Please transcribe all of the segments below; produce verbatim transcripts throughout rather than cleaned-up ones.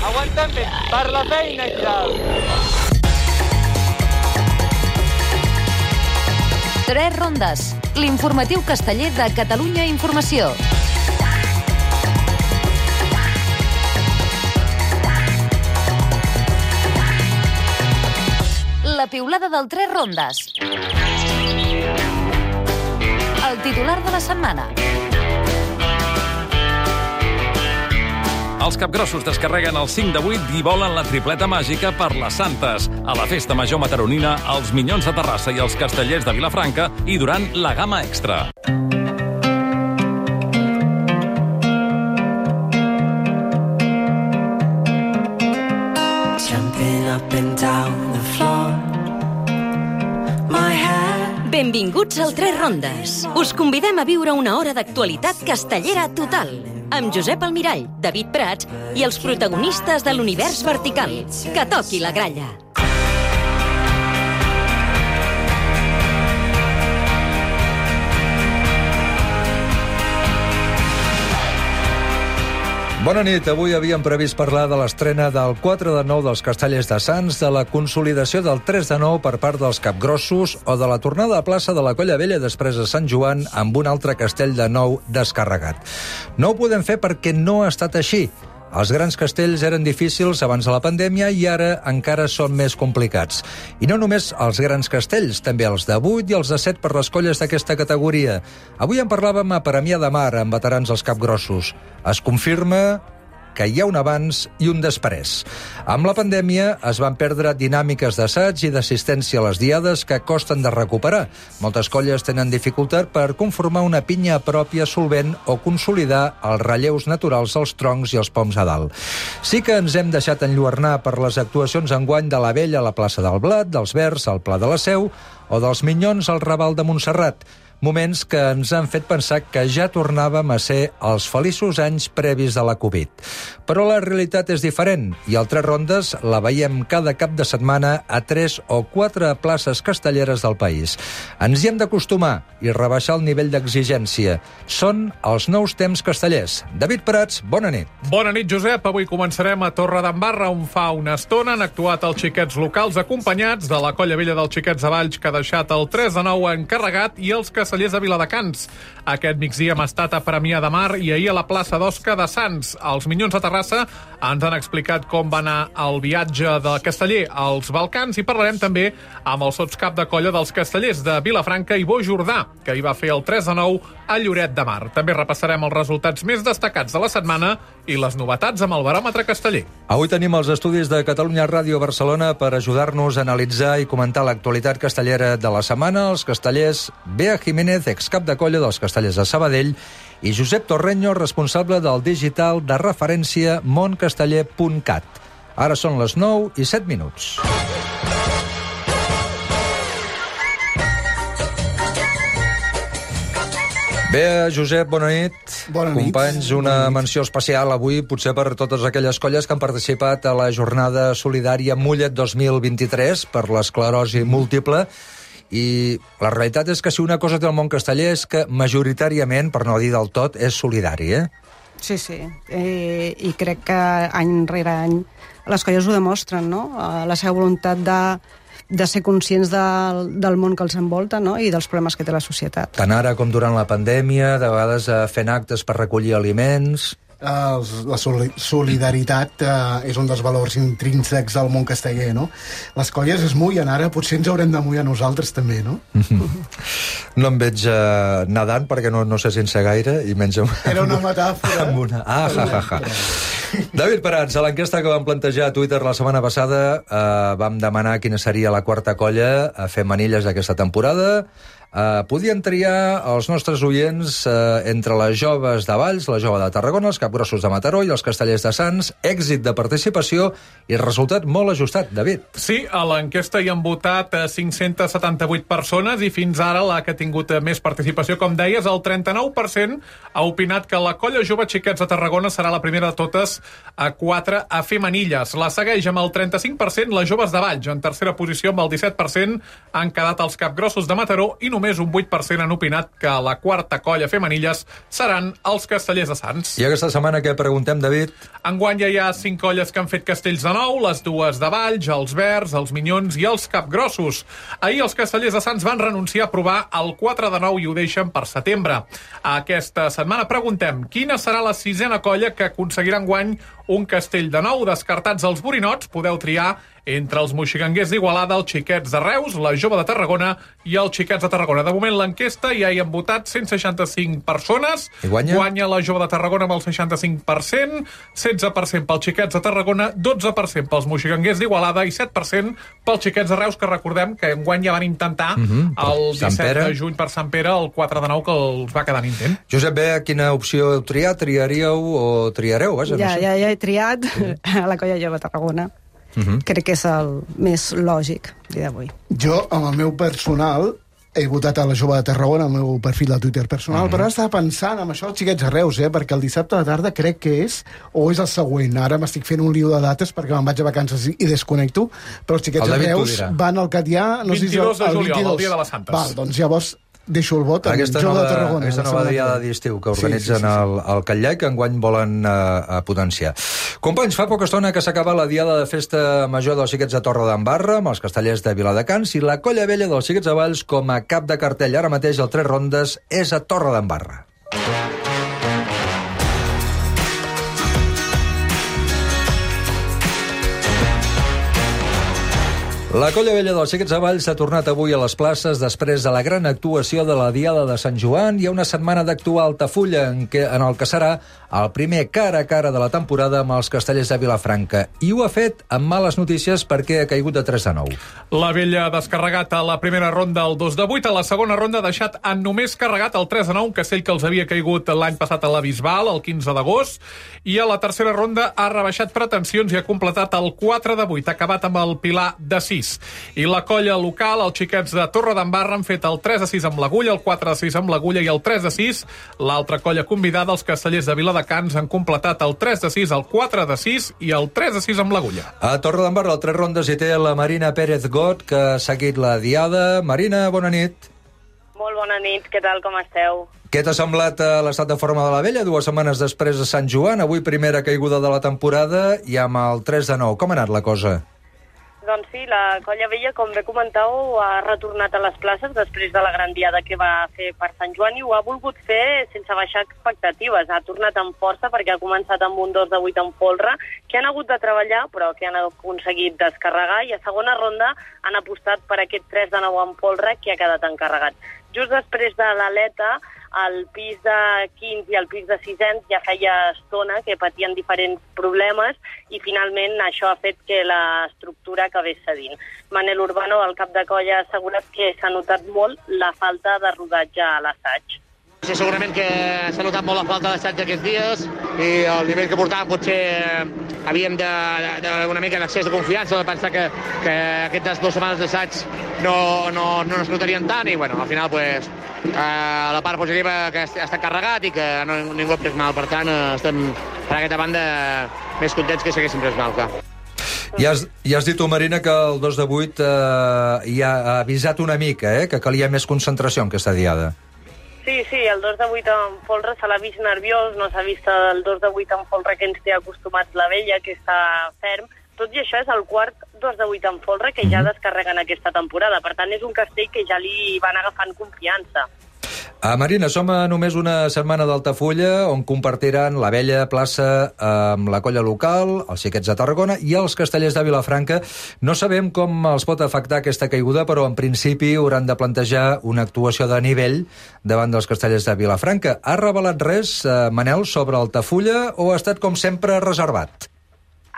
Aguanten bé, per la feina i tal. Tres rondes, l'informatiu casteller de Catalunya Informació. La piulada del Tres rondes. El titular de la setmana. Els capgrossos descarreguen el cinc de vuit i volen la tripleta màgica per les Santes. A la festa major mataronina, els Minyons de Terrassa i els Castellers de Vilafranca i durant la gamma extra. Benvinguts al Tres Rondes. Us convidem a viure una hora d'actualitat castellera total, amb Josep Almirall, David Prats i els protagonistes de l'univers vertical. Que toqui la gralla. Bona nit. Avui havíem previst parlar de l'estrena del quatre de nou dels Castellers de Sants, de la consolidació del tres de nou per part dels capgrossos o de la tornada a plaça de la Colla Vella després de Sant Joan amb un altre castell de nou descarregat. No ho podem fer perquè no ha estat així. Els grans castells eren difícils abans de la pandèmia i ara encara són més complicats. I no només els grans castells, també els de vuit i els de set per les colles d'aquesta categoria. Avui en parlàvem a Premià de Mar, amb veterans dels capgrossos. Es confirma que hi ha un abans i un després. Amb la pandèmia es van perdre dinàmiques d'assaig i d'assistència a les diades que costen de recuperar. Moltes colles tenen dificultat per conformar una pinya pròpia solvent o consolidar els relleus naturals dels troncs i els poms a dalt. Sí que ens hem deixat enlluernar per les actuacions enguany de la Vella a la plaça del Blat, dels Verds al Pla de la Seu o dels Minyons al Raval de Montserrat. Moments que ens han fet pensar que ja tornàvem a ser els feliços anys previs de la Covid. Però la realitat és diferent i al Tres Rondes la veiem cada cap de setmana a tres o quatre places castelleres del país. Ens hi hem d'acostumar i rebaixar el nivell d'exigència. Són els nous temps castellers. David Prats, bona nit. Bona nit, Josep. Avui començarem a Torredembarra, on fa una estona han actuat els xiquets locals acompanyats de la Colla Vella dels Xiquets de Valls, que ha deixat el tres de nou encarregat, i els castellers de Viladecans. Aquest migdia hem estat a Premià de Mar i ahir a la plaça d'Osca de Sants. Els Minyons de Terrassa ens han explicat com va anar el viatge del casteller als Balcans i parlarem també amb el sotscap de colla dels castellers de Vilafranca i Bo Jordà, que hi va fer el tres de nou a Lloret de Mar. També repassarem els resultats més destacats de la setmana i les novetats amb el baròmetre casteller. Avui tenim els estudis de Catalunya Ràdio Barcelona per ajudar-nos a analitzar i comentar l'actualitat castellera de la setmana. Els castellers Bea Jiménez, excap de colla dels Castellers de Sabadell, i Josep Torreño, responsable del digital de referència moncasteller punt cat. Ara són les nou i set minuts. Bé, Josep, bona nit. Bona nit. Companys, una menció especial avui, potser per totes aquelles colles que han participat a la jornada solidària Mullet dos mil vint-i-tres per l'esclerosi múltiple. I la realitat és que si una cosa té el món casteller és que majoritàriament, per no dir del tot, és solidari, eh? Sí, sí. Eh, I crec que any rere any les colles ho demostren, no? La seva voluntat de, de ser conscients del, del món que els envolta, no? I dels problemes que té la societat. Tant ara com durant la pandèmia, de vegades eh, fent actes per recollir aliments. Uh, la solidaritat uh, és un dels valors intrínsecs del món casteller, no? Les colles es mullen ara, potser ens haurem de mullar nosaltres també, no? No em veig uh, nedant perquè no, no sé sense gaire i menys amb... Era una metàfora. Amb una... Ah, ja, ja, ja. David Prats, a l'enquesta que vam plantejar a Twitter la setmana passada uh, vam demanar quina seria la quarta colla a fer manilles d'aquesta temporada. Uh, podien triar els nostres oients uh, entre les joves de Valls, la jove de Tarragona, els capgrossos de Mataró i els castellers de Sants. Èxit de participació i resultat molt ajustat, David. Sí, a l'enquesta hi han votat cinc-centes setanta-vuit persones i fins ara la que ha tingut més participació, com deies, el trenta-nou per cent ha opinat que la colla jove Xiquets de Tarragona serà la primera de totes a quatre a fer manilles. La segueix amb el trenta-cinc per cent les joves de Valls. En tercera posició, amb el disset per cent, han quedat els capgrossos de Mataró i només un vuit per cent han opinat que la quarta colla femenilles seran els Castellers de Sants. I aquesta setmana què preguntem, David? Enguany ja hi ha cinc colles que han fet castells de nou, les dues de Valls, els Verds, els Minyons i els Capgrossos. Ahir els Castellers de Sants van renunciar a provar el quatre de nou i ho deixen per setembre. Aquesta setmana preguntem quina serà la sisena colla que aconseguirà enguany un castell de nou. Descartats els borinots, podeu triar entre els moixiganguers d'Igualada, els xiquets de Reus, la jove de Tarragona i els xiquets de Tarragona. De moment l'enquesta ja hi han votat cent seixanta-cinc persones. I guanya? Guanya la jove de Tarragona amb el seixanta-cinc per cent, setze per cent pels xiquets de Tarragona, dotze per cent pels moixiganguers d'Igualada i set per cent pels xiquets de Reus, que recordem que enguany ja van intentar uh -huh. el disset de juny per Sant Pere, el quatre de nou, que els va quedar en intent. Josep B, quina opció heu triat? Triaríeu o triareu? Vaja, ja, no sé. ja, ja he triat a la colla jove de Tarragona. Uh -huh. Crec que és el més lògic dia d'avui. Jo, amb el meu personal, he votat a la jove de Tarragona, al meu perfil de Twitter personal, uh -huh. però ara estava pensant en això dels xiquets de Reus, eh? perquè el dissabte a la tarda crec que és, o és el següent. Ara m'estic fent un lío de dates perquè me'n vaig a vacances i, i desconnecto, però els xiquets de Reus van al Catllà... No vint-i-dos sé si el, de juliol, el, el dia de les Santes. Val, doncs llavors deixo el vot amb aquesta jove nova, de Tarragona. aquesta nova diada d'estiu que organitzen sí, sí, sí, sí. el, el Catllà i que enguany volen uh, potenciar. Companys, fa poca estona que s'acaba la diada de festa major dels xiquets de Torredembarra amb els castellers de Viladecans i la colla vella dels xiquets de Valls com a cap de cartell. Ara mateix el Tres Rondes és a Torredembarra. La colla vella dels xiquets de Valls s'ha tornat avui a les places després de la gran actuació de la Diada de Sant Joan i una setmana d'actuar a Altafulla en, què, en el que serà el primer cara a cara de la temporada amb els castellers de Vilafranca. I ho ha fet amb males notícies perquè ha caigut de tres a nou. La vella ha descarregat a la primera ronda el dos de vuit, a la segona ronda ha deixat en només carregat el tres a nou, un castell que els havia caigut l'any passat a la Bisbal, el quinze d'agost, i a la tercera ronda ha rebaixat pretensions i ha completat el quatre de vuit, ha acabat amb el pilar de sis. I la colla local, els xiquets de Torredembarra, han fet el tres a sis amb l'Agulla, el quatre a sis amb l'Agulla i el tres a sis. L'altra colla convidada, els castellers de Viladecans, han completat el tres a sis, el quatre a sis i el tres a sis amb l'Agulla. A Torredembarra, el Tres Rondes hi té la Marina Pérez Got, que ha seguit la diada. Marina, bona nit. Molt bona nit, què tal, com esteu? Què t'ha semblat l'estat de forma de la vella dues setmanes després de Sant Joan? Avui primera caiguda de la temporada i amb el tres de nou. Com ha anat la cosa? Doncs sí, la colla vella, com bé comentau, ha retornat a les places després de la gran diada que va fer per Sant Joan i ho ha volgut fer sense baixar expectatives. Ha tornat amb força perquè ha començat amb un dos de vuit en folre, que han hagut de treballar però que han aconseguit descarregar, i a segona ronda han apostat per aquest tres de nou en folre que ha quedat encarregat. Just després de l'aleta, el pis de quins i el pis de sisens ja feia estona que patien diferents problemes i finalment això ha fet que l'estructura acabés cedint. Manel Urbano, el cap de colla, ha assegurat que s'ha notat molt la falta de rodatge a l'assaig. Sí, segurament que s'ha notat molt la falta d'assaig aquests dies i el nivell que portàvem potser havíem d'una mica d'accés de confiança, de pensar que, que aquestes dues setmanes d'assaig no, no, no es notarien tant i bueno, al final pues, eh, la part positiva que ha estat carregat i que no, ningú ha pres mal, per tant estem per aquesta banda més contents que s'haguessin pres mal, clar. Ja has, ja has dit tu, Marina, que el dos de vuit eh, ja ha avisat una mica, eh, que calia més concentració en aquesta diada. Sí, sí, el dos de vuit en folre se l'ha vist nerviós, no s'ha vist el dos de vuit en folre que ens té acostumats la vella, que està ferm. Tot i això és el quart dos de vuit en folre que ja descarreguen aquesta temporada. Per tant, és un castell que ja li van agafant confiança. Uh, Marina, som a només una setmana d'Altafulla on compartiran la vella plaça amb la colla local, els xiquets de Tarragona i els castellers de Vilafranca. No sabem com els pot afectar aquesta caiguda, però en principi hauran de plantejar una actuació de nivell davant dels castellers de Vilafranca. Ha revelat res, uh, Manel, sobre Altafulla o ha estat com sempre reservat?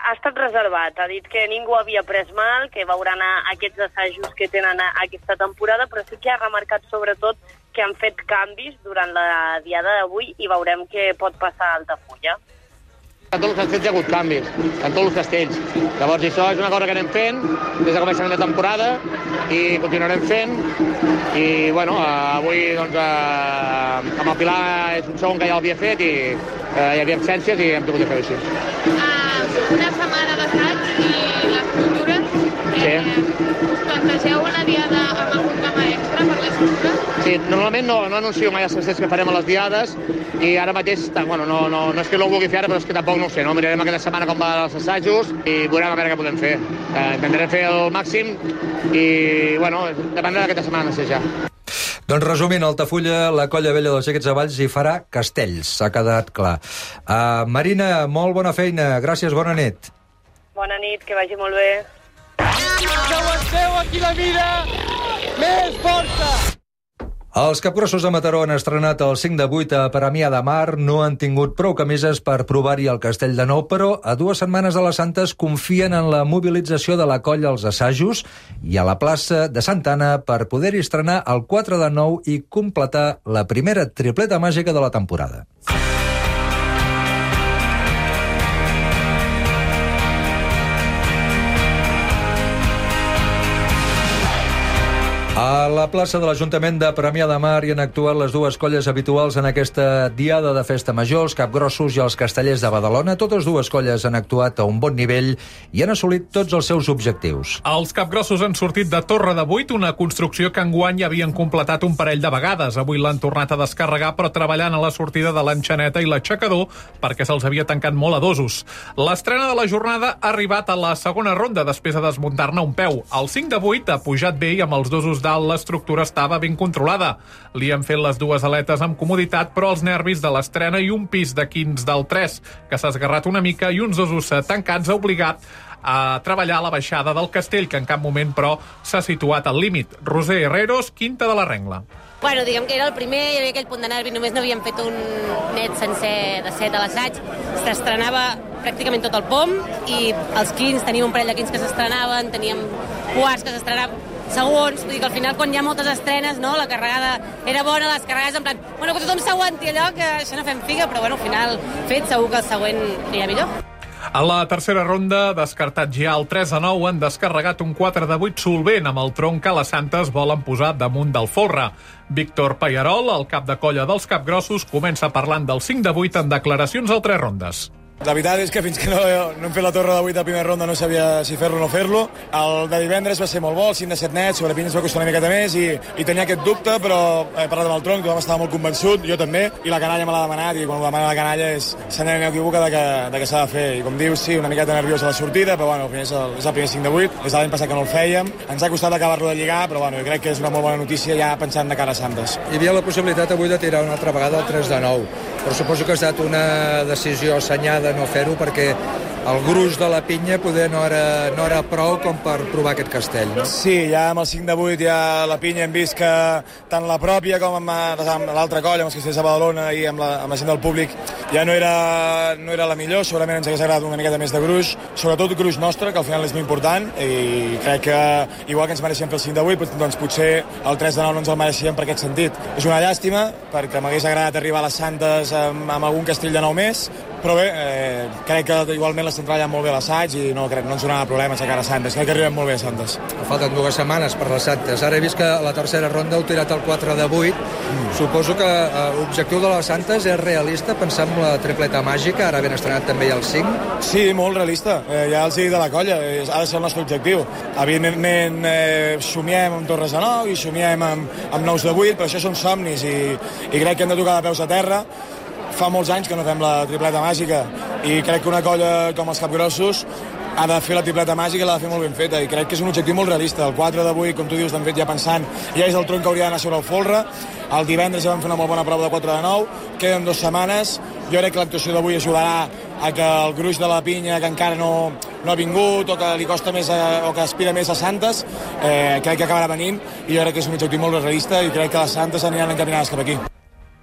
Ha estat reservat, ha dit que ningú havia pres mal, que veuran aquests assajos que tenen aquesta temporada, però sí que ha remarcat sobretot que han fet canvis durant la diada d'avui i veurem què pot passar a Altafulla. A tots els castells hi ha hagut canvis, en tots els castells. Llavors això és una cosa que anem fent des de començament de temporada i continuarem fent. I bueno, avui doncs, eh, amb el Pilar és un segon que ja l'havia fet i eh, hi havia absències i hem tingut de fer així. Uh, una setmana d'assaig i l'estructura. Sí. Eh, us plantegeu una diada amb algun tema extra per l'estructura? Sí, normalment no, no anuncio mai els castells que farem a les diades i ara mateix, bueno, no, no, no és que no ho vulgui fer ara, però és que tampoc no ho sé, no? Mirarem aquesta setmana com van els assajos i veurem a veure què podem fer. Eh, intentarem fer el màxim i, bueno, dependrà d'aquesta setmana assajar. Doncs resumint, Altafulla, la Colla Vella dels Xiquets de Valls hi farà castells, s'ha quedat clar. Uh, Marina, molt bona feina, gràcies, bona nit. Bona nit, que vagi molt bé. Que aguanteu aquí la vida! Més força! Els capgrossos de Mataró han estrenat el cinc de vuit a Premià de Mar, no han tingut prou camises per provar-hi el castell de nou, però a dues setmanes de les Santes confien en la mobilització de la colla als assajos i a la plaça de Santa Anna per poder-hi estrenar el quatre de nou i completar la primera tripleta màgica de la temporada. A la plaça de l'Ajuntament de Premià de Mar hi han actuat les dues colles habituals en aquesta diada de festa major, els capgrossos i els castellers de Badalona. Totes dues colles han actuat a un bon nivell i han assolit tots els seus objectius. Els capgrossos han sortit de Torre de Vuit, una construcció que enguany ja havien completat un parell de vegades. Avui l'han tornat a descarregar, però treballant a la sortida de l'Enxaneta i l'aixecador perquè se'ls havia tancat molt a dosos. L'estrena de la jornada ha arribat a la segona ronda després de desmuntar-ne un peu. El cinc de vuit ha pujat bé i amb els dosos dalt l'estructura estava ben controlada. Li han fet les dues aletes amb comoditat, però els nervis de l'estrena i un pis de quins del tres, que s'ha esgarrat una mica, i uns dosos tancats ha obligat a treballar a la baixada del castell, que en cap moment, però, s'ha situat al límit. Roser Herreros, Quinta de la Rengla. Bueno, diguem que era el primer, hi havia aquell punt de nervi, només no havíem fet un net sencer de set a l'assaig, s'estrenava pràcticament tot el pom, i els quins, teníem un parell de quins que s'estrenaven, teníem quarts que s'estrenaven, segons, vull dir que al final quan hi ha moltes estrenes, no, la carregada era bona, les carregades en plan, bueno, que tothom s'aguanti allò, que això no fem figa, però bueno, al final fet, segur que el següent anirà millor. A la tercera ronda, descartat ja el tres a nou, han descarregat un quatre de vuit solvent amb el tronc que les Santes volen posar damunt del folre. Víctor Pallarol, el cap de colla dels capgrossos, comença parlant del cinc de vuit en declaracions al tres rondes. La veritat és que fins que no, no hem fet la torre de vuit a primera ronda no sabia si fer-lo o no fer-lo. El de divendres va ser molt bo, el cinc de set net, sobre Pinyes va costar una miqueta més i, i tenia aquest dubte, però he parlat amb el tronc, tothom estava molt convençut, jo també, i la canalla me l'ha demanat, i quan ho demana la canalla és se n'ha equivocat de que, de que s'ha de fer. I com dius, sí, una miqueta nerviós a la sortida, però bueno, és el, és el primer cinc de vuit, des de l'any passat que no el fèiem. Ens ha costat acabar-lo de lligar, però bueno, jo crec que és una molt bona notícia ja pensant de cara a Santes. Hi havia la possibilitat avui de tirar una altra vegada el tres de nou, però suposo que ha estat una decisió assenyada no fer-ho, perquè el gruix de la pinya poder no era, no era prou com per provar aquest castell, no? Sí, ja amb el cinc de vuit ja la pinya hem vist que tant la pròpia com amb, amb l'altra colla, amb els castells de Badalona i amb la, amb la gent del públic, ja no era, no era la millor, segurament ens hagués agradat una miqueta més de gruix, sobretot gruix nostre, que al final és molt important, i crec que igual que ens mereixíem fer el cinc de vuit, doncs potser el tres de nou no ens el mereixíem per aquest sentit. És una llàstima, perquè m'hagués agradat arribar a les Santes amb, amb algun castell de nou més, però bé, eh, crec que igualment l'estem treballant molt bé a l'assaig i no, crec, no ens donarà problemes a cara a Santes, crec que arribem molt bé a Santes. Falten dues setmanes per les Santes. Ara he vist que a la tercera ronda heu tirat el quatre de vuit. Mm. Suposo que eh, l'objectiu de les Santes és realista, pensant en la tripleta màgica, ara ben estrenat també el cinc. Sí, molt realista. Eh, ja els he dit de la colla, eh, ha de ser el nostre objectiu. Evidentment, eh, somiem amb torres de nou i somiem amb, amb nous de vuit, però això són somnis i, i crec que hem de tocar de peus a terra. Fa molts anys que no fem la tripleta màgica i crec que una colla com els capgrossos ha de fer la tripleta màgica i l'ha de fer molt ben feta i crec que és un objectiu molt realista. El quatre de vuit, com tu dius, l'hem fet ja pensant, ja és el tronc que hauria d'anar sobre el folre. El divendres ja vam fer una molt bona prova de quatre de nou, queden dues setmanes. Jo crec que l'actuació d'avui ajudarà a que el gruix de la pinya, que encara no, no ha vingut o que li costa més a, o que aspira més a Santes, eh, crec que acabarà venint i jo crec que és un objectiu molt realista i crec que les Santes aniran encaminades cap aquí.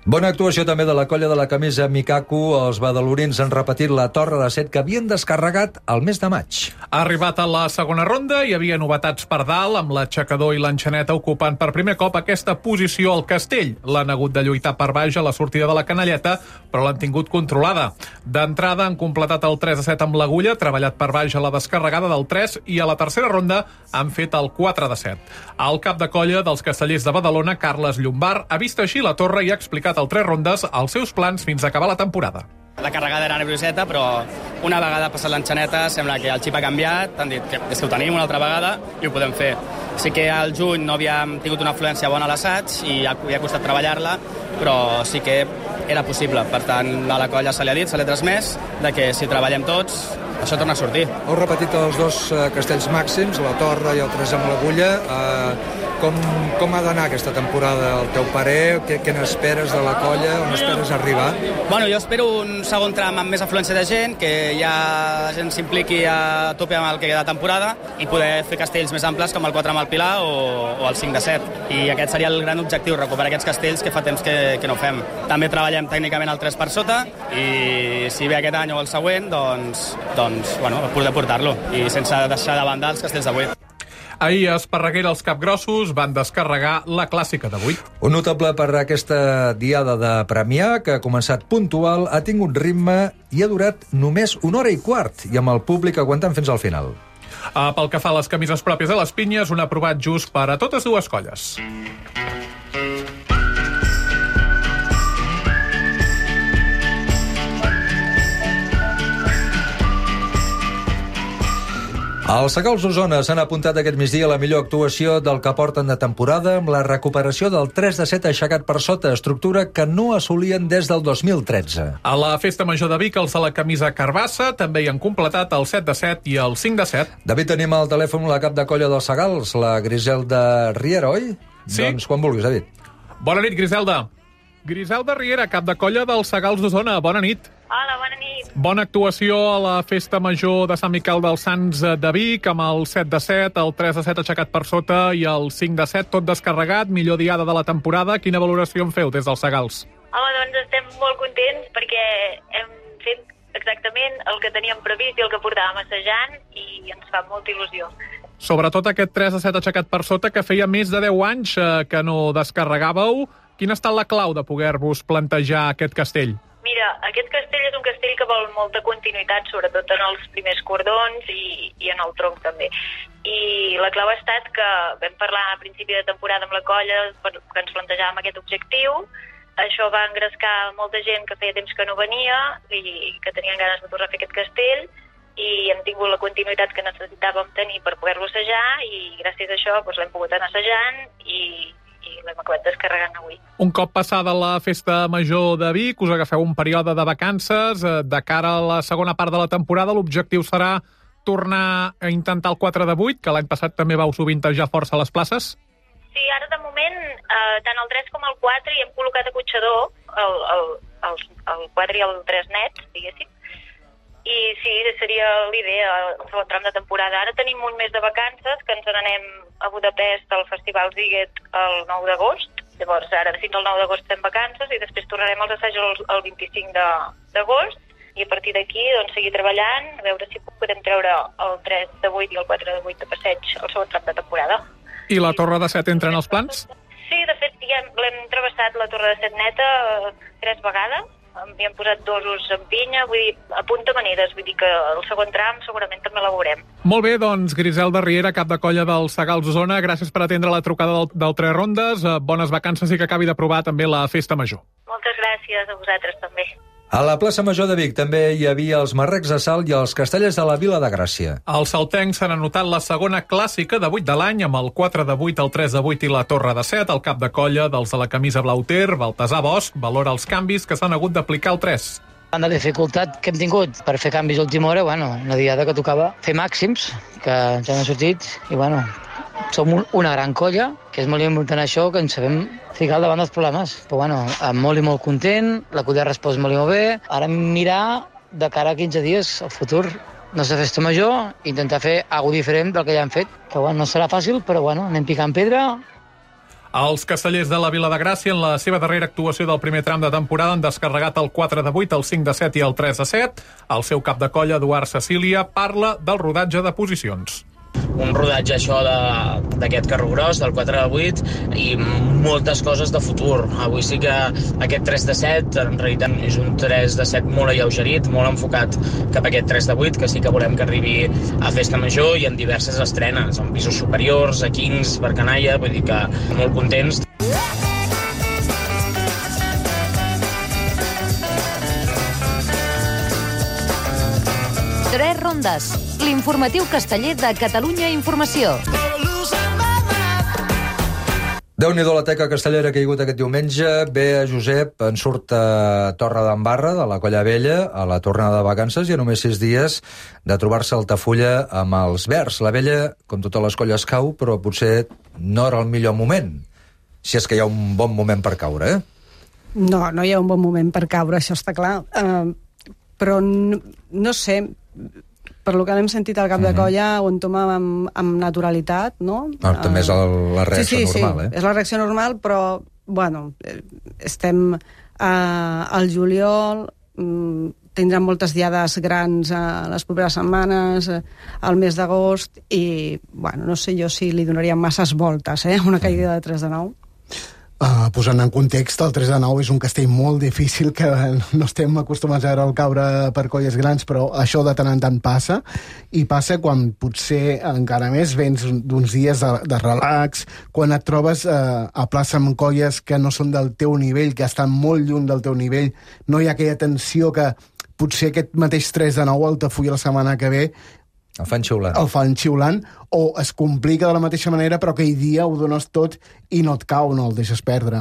Bona actuació també de la colla de la camisa Mikaku. Els badalonins han repetit la torre de set que havien descarregat el mes de maig. Ha arribat a la segona ronda, hi havia novetats per dalt, amb l'aixecador i l'enxaneta ocupant per primer cop aquesta posició al castell. L'han hagut de lluitar per baix a la sortida de la canalleta, però l'han tingut controlada. D'entrada han completat el tres a set amb l'agulla, treballat per baix a la descarregada del tres, i a la tercera ronda han fet el quatre de set. El cap de colla dels castellers de Badalona, Carles Llombard, ha vist així la torre i ha explicat al tres rondes els seus plans fins a acabar la temporada. La carregada era nervioseta, però una vegada passat l'enxaneta sembla que el xip ha canviat, han dit que és que ho tenim una altra vegada i ho podem fer. Sí que al juny no havíem tingut una afluència bona a l'assaig i ha, ha costat treballar-la, però sí que era possible. Per tant, a la colla se li ha dit, se li ha transmès, de que si treballem tots, això torna a sortir. Heu repetit els dos eh, castells màxims, la torre i el tres amb l'agulla. Eh, com, com ha d'anar aquesta temporada, el teu parer? Què, què n'esperes de la colla? On esperes arribar? Bueno, jo espero un segon tram amb més afluència de gent, que ja la gent s'impliqui a tope amb el que queda de temporada i poder fer castells més amples com el quatre amb el Pilar o, o el cinc de set. I aquest seria el gran objectiu, recuperar aquests castells que fa temps que, que no fem. També treballem tècnicament el tres per sota i si ve aquest any o el següent, doncs, doncs bueno, poder portar-lo i sense deixar de banda els castells d'avui. Ahir a Esparreguera els capgrossos van descarregar la clàssica d'avui. Un notable per aquesta diada de Premià, que ha començat puntual, ha tingut ritme i ha durat només una hora i quart, i amb el públic aguantant fins al final. Uh, pel que fa a les camises pròpies de les pinyes, un aprovat just per a totes dues colles. Els Segals d'Osona s'han apuntat aquest migdia a la millor actuació del que porten de temporada amb la recuperació del tres de set aixecat per sota, estructura que no assolien des del dos mil tretze. A la Festa Major de Vic, els de la camisa carbassa també hi han completat el set de set i el cinc de set. David, tenim al telèfon la cap de colla dels Segals, la Griselda Riera, oi? Sí. Doncs quan vulguis, David. Bona nit, Griselda. Griselda Riera, cap de colla dels Segals d'Osona. Bona nit. Hola, bona nit. Bona actuació a la Festa Major de Sant Miquel dels Sants de Vic, amb el set de set, el tres de set aixecat per sota i el cinc de set, tot descarregat, millor diada de la temporada. Quina valoració en feu des dels Segals? Home, doncs estem molt contents perquè hem fet exactament el que teníem previst i el que portàvem assajant i ens fa molta il·lusió. Sobretot aquest tres de set aixecat per sota, que feia més de deu anys eh, que no descarregàveu. Quina ha estat la clau de poder-vos plantejar aquest castell? Mira, aquest castell és un castell que vol molta continuïtat, sobretot en els primers cordons i, i en el tronc també. I la clau ha estat que vam parlar a principi de temporada amb la colla que ens plantejàvem aquest objectiu. Això va engrescar molta gent que feia temps que no venia i que tenien ganes de tornar a fer aquest castell i hem tingut la continuïtat que necessitàvem tenir per poder-lo assajar i gràcies a això doncs, l'hem pogut anar assajant i i l'hem acabat descarregant avui. Un cop passada la Festa Major de Vic, us agafeu un període de vacances. De cara a la segona part de la temporada, l'objectiu serà tornar a intentar el quatre de vuit, que l'any passat també vau sovintejar força a les places? Sí, ara de moment, eh, tant el tres com el quatre hi hem col·locat a Cotxador, el, el, el, el quatre i el tres nets, diguéssim. I sí, seria l'idea, el segon tram de temporada. Ara tenim un mes de vacances, que ens n'anem a Budapest al Festival Ziget el nou d'agost. Llavors, ara fins al nou d'agost estem vacances i després tornarem als assajos el vint-i-cinc d'agost i a partir d'aquí doncs, seguir treballant, a veure si podem treure el tres de vuit i el quatre de vuit de passeig al segon tram de temporada. I la Torre de set entra en els plans? Sí, de fet, ja l'hem travessat la Torre de set neta eh, tres vegades. Hi hem posat dosos en pinya, vull dir, a punta maneres, vull dir que el segon tram segurament també la veurem. Molt bé, doncs, Griselda Riera, cap de colla dels Segals d'Osona, gràcies per atendre la trucada del, del Tres Rondes, bones vacances i que acabi d'aprovar també la Festa Major. Moltes gràcies a vosaltres també. A la plaça Major de Vic també hi havia els marrecs de salt i els castellers de la Vila de Gràcia. Els saltencs s'han anotat la segona clàssica de vuit de l'any amb el quatre de vuit, el tres de vuit i la Torre de set. El cap de colla dels de la camisa blau ter, Baltasar Bosch, valora els canvis que s'han hagut d'aplicar al tres. La dificultat que hem tingut per fer canvis a última hora, bueno, una diada que tocava fer màxims, que ens han sortit, i bueno, som una gran colla, que és molt important això, que ens sabem ficar davant dels problemes. Però bueno, molt i molt content, la colla ha respost molt i molt bé. Ara mirar de cara a quinze dies, al futur, nostra festa major, intentar fer alguna cosa diferent del que ja hem fet, que bueno, no serà fàcil, però bueno, anem picant pedra. Els castellers de la Vila de Gràcia, en la seva darrera actuació del primer tram de temporada, han descarregat el quatre de vuit, el cinc de set i el tres de set. El seu cap de colla, Eduard Cecília, parla del rodatge de posicions. Un rodatge això d'aquest carro gros, del quatre de vuit, i moltes coses de futur. Avui sí que aquest tres de set, en realitat és un tres de set molt alleugerit, molt enfocat cap a aquest tres de vuit, que sí que volem que arribi a Festa Major i en diverses estrenes, en pisos superiors, a Kings, per Canalla, vull dir que molt contents. Tres rondes, l'informatiu casteller de Catalunya Informació. Déu-n'hi-do la teca castellera que hi ha hagut aquest diumenge. Bé, Josep, en surt a Torre d'Embarra, de la Colla Vella, a la tornada de vacances, i a només sis dies de trobar-se a Altafulla amb els Verds. La Vella, com totes les colles, cau, però potser no era el millor moment. Si és que hi ha un bon moment per caure, eh? No, no hi ha un bon moment per caure, això està clar. Uh, però no, no sé, per lo que hem sentit al cap de colla, ho entoma amb, amb naturalitat, no? Ah, també és el, la reacció sí, sí, normal, sí, eh? És la reacció normal, però, bueno, estem uh, al juliol, um, tindran moltes diades grans a uh, les properes setmanes, uh, al mes d'agost, i, bueno, no sé jo si li donaria masses voltes, eh? Una caiguda de tres de nou. Uh, posant en context, el tres de nou és un castell molt difícil, que no estem acostumats a veure el caure per colles grans, però això de tant en tant passa, i passa quan potser encara més vens d'uns dies de, de relax, quan et trobes uh, a plaça amb colles que no són del teu nivell, que estan molt lluny del teu nivell, no hi ha aquella tensió que potser aquest mateix tres de nou a Altafulla la setmana que ve el fan xiulant. El fan xiulant, o es complica de la mateixa manera, però aquell dia ho dones tot i no et cau, no el deixes perdre.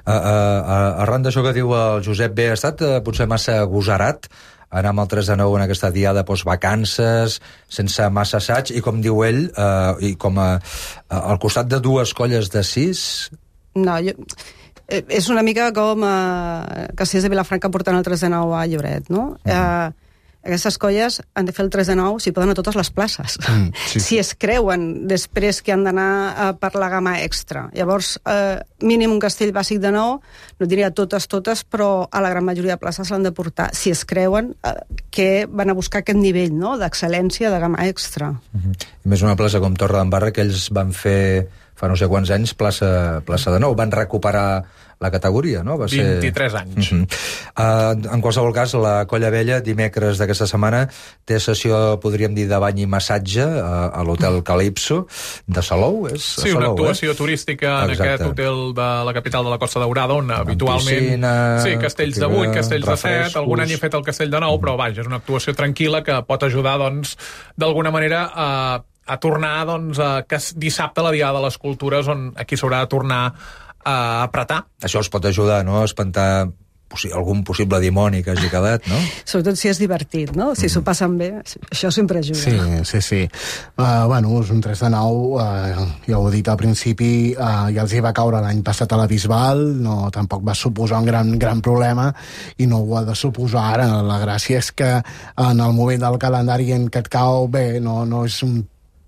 Uh, uh, uh, arran d'això que diu el Josep B, ha estat uh, potser massa agosarat anar amb el tres de nou en aquesta diada postvacances, sense massa assaig, i com diu ell, uh, i com a, uh, al costat de dues colles de sis... No, jo... És una mica com uh, Castellers de Vilafranca portant el tres de nou a Lloret, no? Uh -huh. uh, Aquestes colles han de fer el tres de nou si poden a totes les places. Mm, sí. Si es creuen després que han d'anar uh, per la gamma extra. Llavors, uh, mínim un castell bàsic de nou, no diria totes, totes, però a la gran majoria de places l'han de portar, si es creuen uh, que van a buscar aquest nivell, no?, d'excel·lència de gamma extra. Mm-hmm. I més una plaça com Torre d'Embarra, que ells van fer fa no sé quants anys plaça, plaça de nou. Van recuperar la categoria, no? Va ser... vint-i-tres anys. Uh-huh. uh, en qualsevol cas, la Colla Vella, dimecres d'aquesta setmana, té sessió, podríem dir, de bany i massatge a, a l'hotel Calypso de Salou, és? Sí, Salou, una actuació eh? turística en Exacte. aquest hotel de la capital de la Costa Daurada, on amb habitualment... piscina, sí, castells de vuit, castells de set, algun any he fet el castell de nou, però vaja, és una actuació tranquil·la que pot ajudar, doncs, d'alguna manera a, a tornar, doncs, a, que dissabte la Diada de les Cultures, on aquí s'haurà de tornar a apretar. Això els pot ajudar, no?, a espantar possi algun possible dimoni que hagi quedat, no? Sobretot si és divertit, no? Si mm. s'ho passen bé, això sempre ajuda. Sí, sí, sí. Uh, bueno, és un tres de nou, uh, ja ho he dit al principi, uh, ja els hi va caure l'any passat a la Bisbal, no, tampoc va suposar un gran, gran problema, i no ho ha de suposar ara. La gràcia és que en el moment del calendari en què et cau, bé, no, no és un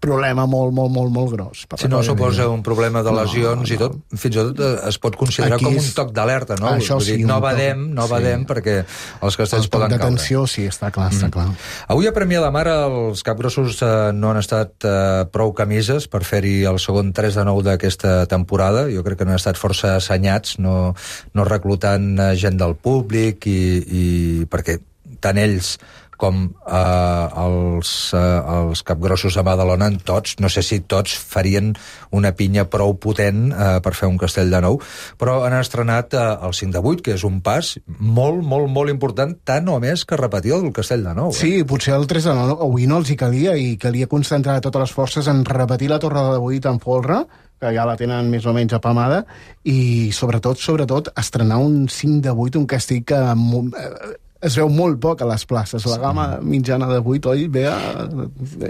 problema molt, molt, molt, molt gros. Si no suposa un problema de lesions no, no. i tot, fins i tot es pot considerar Aquí com un toc d'alerta, no? Això Vull dir, sí, no badem, no badem, sí. perquè els castells poden caure. El toc d'atenció, sí, està clar, està clar. Mm. Avui a Premià de Mar els capgrossos eh, no han estat eh, prou camises per fer-hi el segon tres de nou d'aquesta temporada. Jo crec que no han estat força assenyats, no, no reclutant eh, gent del públic, i, i perquè tant ells com eh, els, eh, els capgrossos de Badalona, tots, no sé si tots farien una pinya prou potent eh, per fer un castell de nou, però han estrenat eh, el cinc de vuit, que és un pas molt, molt, molt important, tant o més que repetir el castell de nou. Eh? Sí, potser el tres de nou avui no els hi calia, i calia concentrar totes les forces en repetir la torre de vuit en folre, que ja la tenen més o menys apamada, i sobretot, sobretot, estrenar un cinc de vuit, un castell que eh, es veu molt poc a les places. La gamma mitjana de vuit, oi, Bea?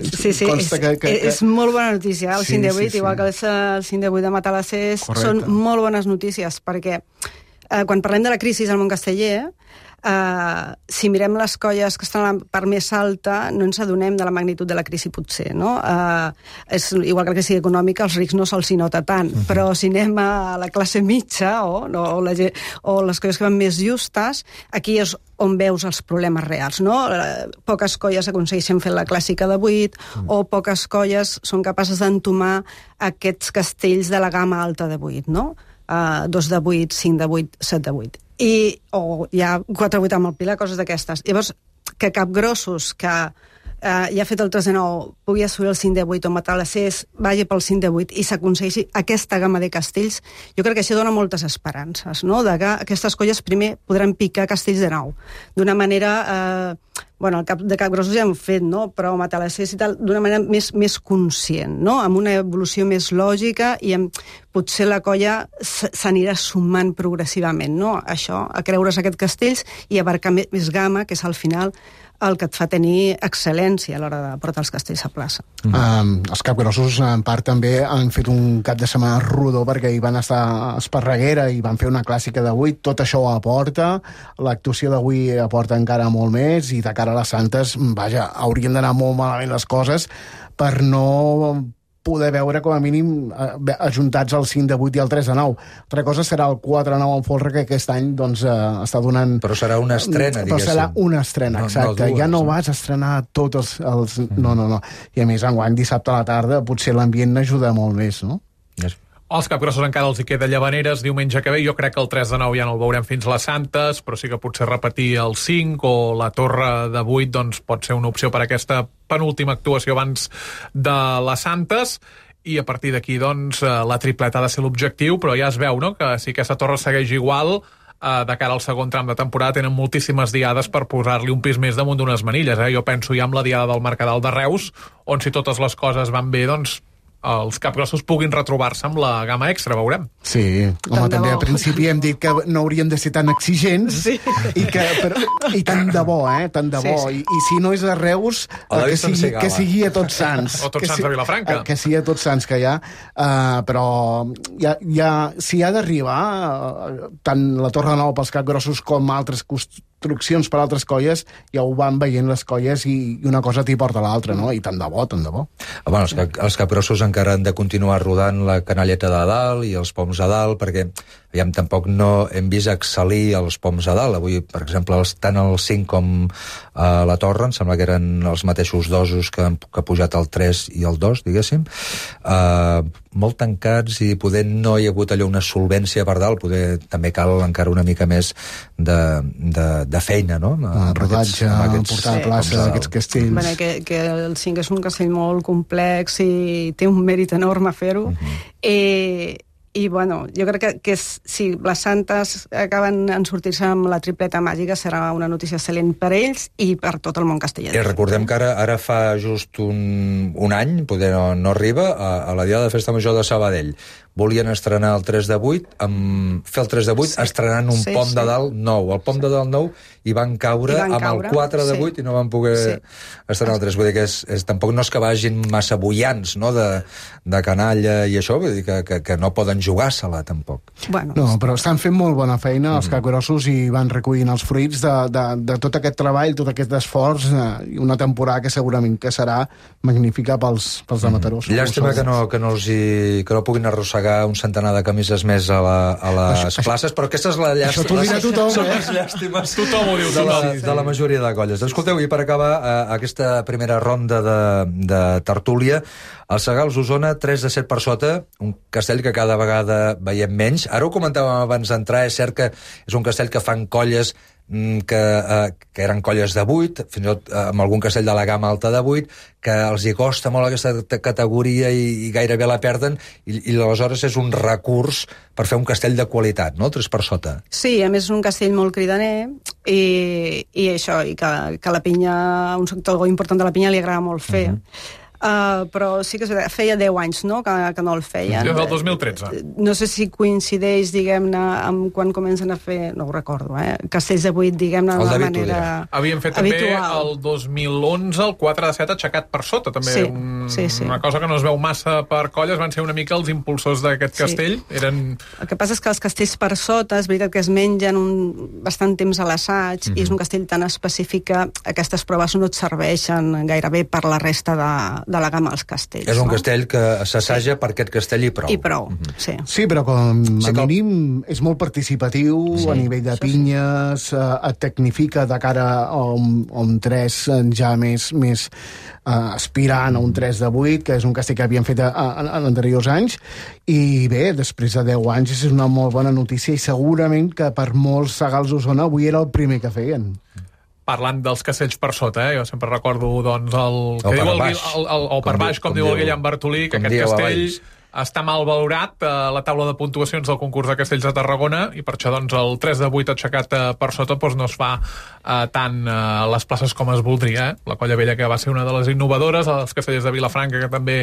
Sí, sí, és, que, que, és molt bona notícia. El sí, cinc de vuit, sí, sí. igual que el cinc de vuit de Matalassers, són molt bones notícies, perquè eh, quan parlem de la crisi al món casteller, Uh, si mirem les colles que estan a la part més alta, no ens adonem de la magnitud de la crisi, potser, no? Uh, és igual que la crisi econòmica, als rics no se'ls nota tant, uh-huh. però si anem a la classe mitja o, no, o, la, o les colles que van més justes, aquí és on veus els problemes reals, no? Uh, poques colles aconsegueixen fer la clàssica de vuit, uh-huh. o poques colles són capaces d'entomar aquests castells de la gamma alta de vuit, no? Uh, dos de vuit, cinc de vuit, set de vuit. I, o hi ha quatre vuit amb el Pilar, coses d'aquestes. Llavors, que capgrossos que eh, ja ha fet el tres de nou pugui assolir el cinc de vuit o Matalassers vagi pel cinc de vuit i s'aconsegueixi aquesta gamma de castells, jo crec que això dona moltes esperances, no?, de que aquestes colles primer podran picar castells de nou d'una manera eh, bueno, el cap de Capgrossos ja hem fet, no? Però Matalassers i tal, d'una manera més, més conscient, no? Amb una evolució més lògica i amb, potser la colla s'anirà sumant progressivament, no? Això, a creure's aquests castells i abarcar més gamma, que és al final el que et fa tenir excel·lència a l'hora de portar els castells a plaça. Mm. Um, els Capgrossos, en part, també han fet un cap de setmana rodó perquè hi van estar a Esparreguera i van fer una clàssica de vuit. Tot això ho aporta. L'actuació d'avui aporta encara molt més i de cara a les Santes, vaja, haurien d'anar molt malament les coses per no poder veure, com a mínim, eh, ajuntats el cinc de vuit i el tres de nou. Altra cosa serà el quatre de nou en folre, que aquest any doncs, eh, està donant... Però serà una estrena, diguéssim. Però serà una estrena, no, exacte. No dues, ja no vas a estrenar tots els... els... Mm. No, no, no. I a més, enguany, dissabte a la tarda, potser l'ambient n'ajuda molt més, no? Yes. Els Capgrossos encara els hi queda Llavaneres diumenge que ve. Jo crec que el tres de nou ja no el veurem fins les Santes, però sí que potser repetir el cinc o la Torre de vuit doncs, pot ser una opció per aquesta penúltima actuació abans de les Santes. I a partir d'aquí doncs, la tripleta ha de ser l'objectiu, però ja es veu, no?, que si aquesta torre segueix igual, eh, de cara al segon tram de temporada tenen moltíssimes diades per posar-li un pis més damunt d'unes manilles. Eh? Jo penso ja amb la diada del Mercadal de Reus, on si totes les coses van bé, doncs els Capgrossos puguin retrobar-se amb la gamma extra, veurem. Sí, home, també a principi hem dit que no haurien de ser tan exigents, sí. i, que, però, i tant de bo, eh? Tant de bo. Sí, sí. I, I si no és a Reus, que sigui, que sigui a Tots Sants. O Tots Sants si, a Vilafranca. Que sigui a Tots Sants que hi ha. Uh, però ja, ja, si ha d'arribar, uh, tant la Torre Nou pels Capgrossos com altres construccions per altres colles, ja ho van veient les colles i, i una cosa t'hi porta l'altra, no? I tant de bo, tant de bo. Bueno, els, els Capgrossos encara han de continuar rodant la canalleta de dalt i els poms a dalt, perquè aviam, tampoc no hem vist excel·lir els poms a dalt. Avui, per exemple, els, tant el cinc com eh, la Torre, em sembla que eren els mateixos dosos que han que ha pujat el tres i el dos, diguéssim. Eh, molt tancats i poder no hi ha hagut allò una solvència per dalt, poder també cal encara una mica més de, de, de feina, no? El rodatge, amb aquests, portar a plaça sí. Aquests castells. Bueno, que, que el cinc és un castell molt complex i té un mèrit enorme fer-ho. Uh-huh. Eh, I, bueno, jo crec que, que si les Santes acaben en sortir-se amb la tripleta màgica serà una notícia excel·lent per ells i per tot el món castellà. I recordem que ara, ara fa just un, un any, poder no, no arriba, a, a la Diada de Festa Major de Sabadell. Volien estrenar el tres de vuit, amb, fer el tres de vuit sí. estrenant un sí, pom sí. de dalt nou. El pom sí. de dalt nou i van caure I van amb caure, el quatre de vuit sí. i no van poder sí. estrenar el tres. Vull dir que és, és, tampoc no és que vagin massa bullants, no?, de, de canalla i això, vull dir que, que, que no poden jugar-se-la, tampoc. Bueno, no, però estan fent molt bona feina els mm. Capgrossos i van recollint els fruits de, de, de tot aquest treball, tot aquest esforç, i una temporada que segurament que serà magnífica pels, pels de Mataró. Mm. Llàstima que no, que no, els hi, que no puguin arrossegar un centenar de camises més a, la, a les això, places, però aquesta és la llàstima. Això t'ho dirà tothom, Són eh? les llàstimes tothom ho diu, de, la, de la majoria de colles. Escolteu, i per acabar eh, aquesta primera ronda de, de tertúlia, el Sagals Osona, tres de set per sota, un castell que cada vegada veiem menys. Ara ho comentàvem abans d'entrar, és cert que és un castell que fan colles que, eh, que eren colles de vuit, fins i tot eh, amb algun castell de la gamma alta de vuit, que els hi costa molt aquesta categoria i, i gairebé la perden, i, i aleshores és un recurs per fer un castell de qualitat, no?, tres per sota. Sí, a més és un castell molt cridaner, i, i això, i que, que la pinya, un sector important de la pinya li agrada molt fer. Uh-huh. Uh, però sí que feia deu anys, no?, que, que no el feien. Des del dos mil tretze. No sé si coincideix, diguem-ne, amb quan comencen a fer, no ho recordo, eh? Castells de vuit, diguem-ne, de manera Havíem fet habitual. També el dos mil onze, el quatre de set aixecat per sota, també. Sí, un, sí, sí. Una cosa que no es veu massa per colles, van ser una mica els impulsors d'aquest sí. castell. Eren... El que passa és que els castells per sota, és veritat que es mengen un, bastant temps a l'assaig, mm-hmm. i és un castell tan específic que aquestes proves no et serveixen gairebé per la resta de de la gamma als castells. És un no? castell que s'assaja sí. per aquest castell i prou. I prou, mm-hmm. sí. Sí, però com a sí, mínim és molt participatiu sí, a nivell de pinyes, sí. eh, et tecnifica de cara a un, a un tres ja més, més eh, aspirant a un tres de vuit, que és un castell que havien fet a, a, en anteriors anys, i bé, després de deu anys és una molt bona notícia i segurament que per molts Sagals Osona avui era el primer que feien. Parlant dels castells per sota, eh? Jo sempre recordo doncs, el, o que diu el, baix. el, el, el, o per baix, com, com diu el Guillem Bartolí, que aquest castell està mal valorat a la taula de puntuacions del concurs de Castells de Tarragona i per això doncs, el tres de vuit aixecat eh, per sota doncs, no es fa eh, tant eh, les places com es voldria. Eh? La Colla Vella, que va ser una de les innovadores, els castellers de Vilafranca, que també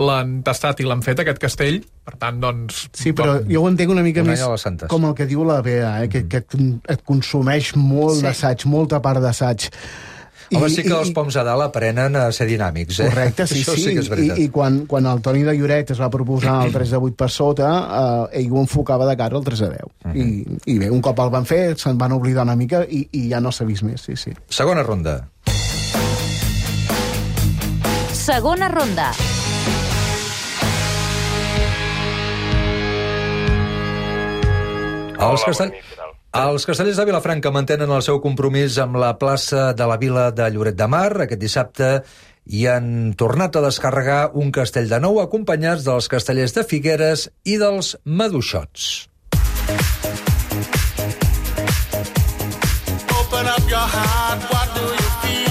l'han tastat i l'han fet, aquest castell. Per tant, doncs... Sí, però com... jo ho entenc una mica un més com el que diu la Bea, eh? que, que et consumeix molt sí. d'assaig, molta part d'assaig. Home, sí que els poms a dalt aprenen a ser dinàmics, eh? Correcte, sí, Això sí. sí que és veritat. I, i quan, quan el Toni de Lloret es va proposar el tres de vuit per sota, eh, ell ho enfocava de cara al tres de deu. Uh -huh. I, I bé, un cop el van fer, se'n van oblidar una mica i, i ja no s'ha vist més, sí, sí. Segona ronda. Segona ronda. Els castell... Els castellers de Vilafranca mantenen el seu compromís amb la plaça de la Vila de Lloret de Mar. Aquest dissabte hi han tornat a descarregar un castell de nou acompanyats dels castellers de Figueres i dels Maduixots. Open up your heart, what do you feel?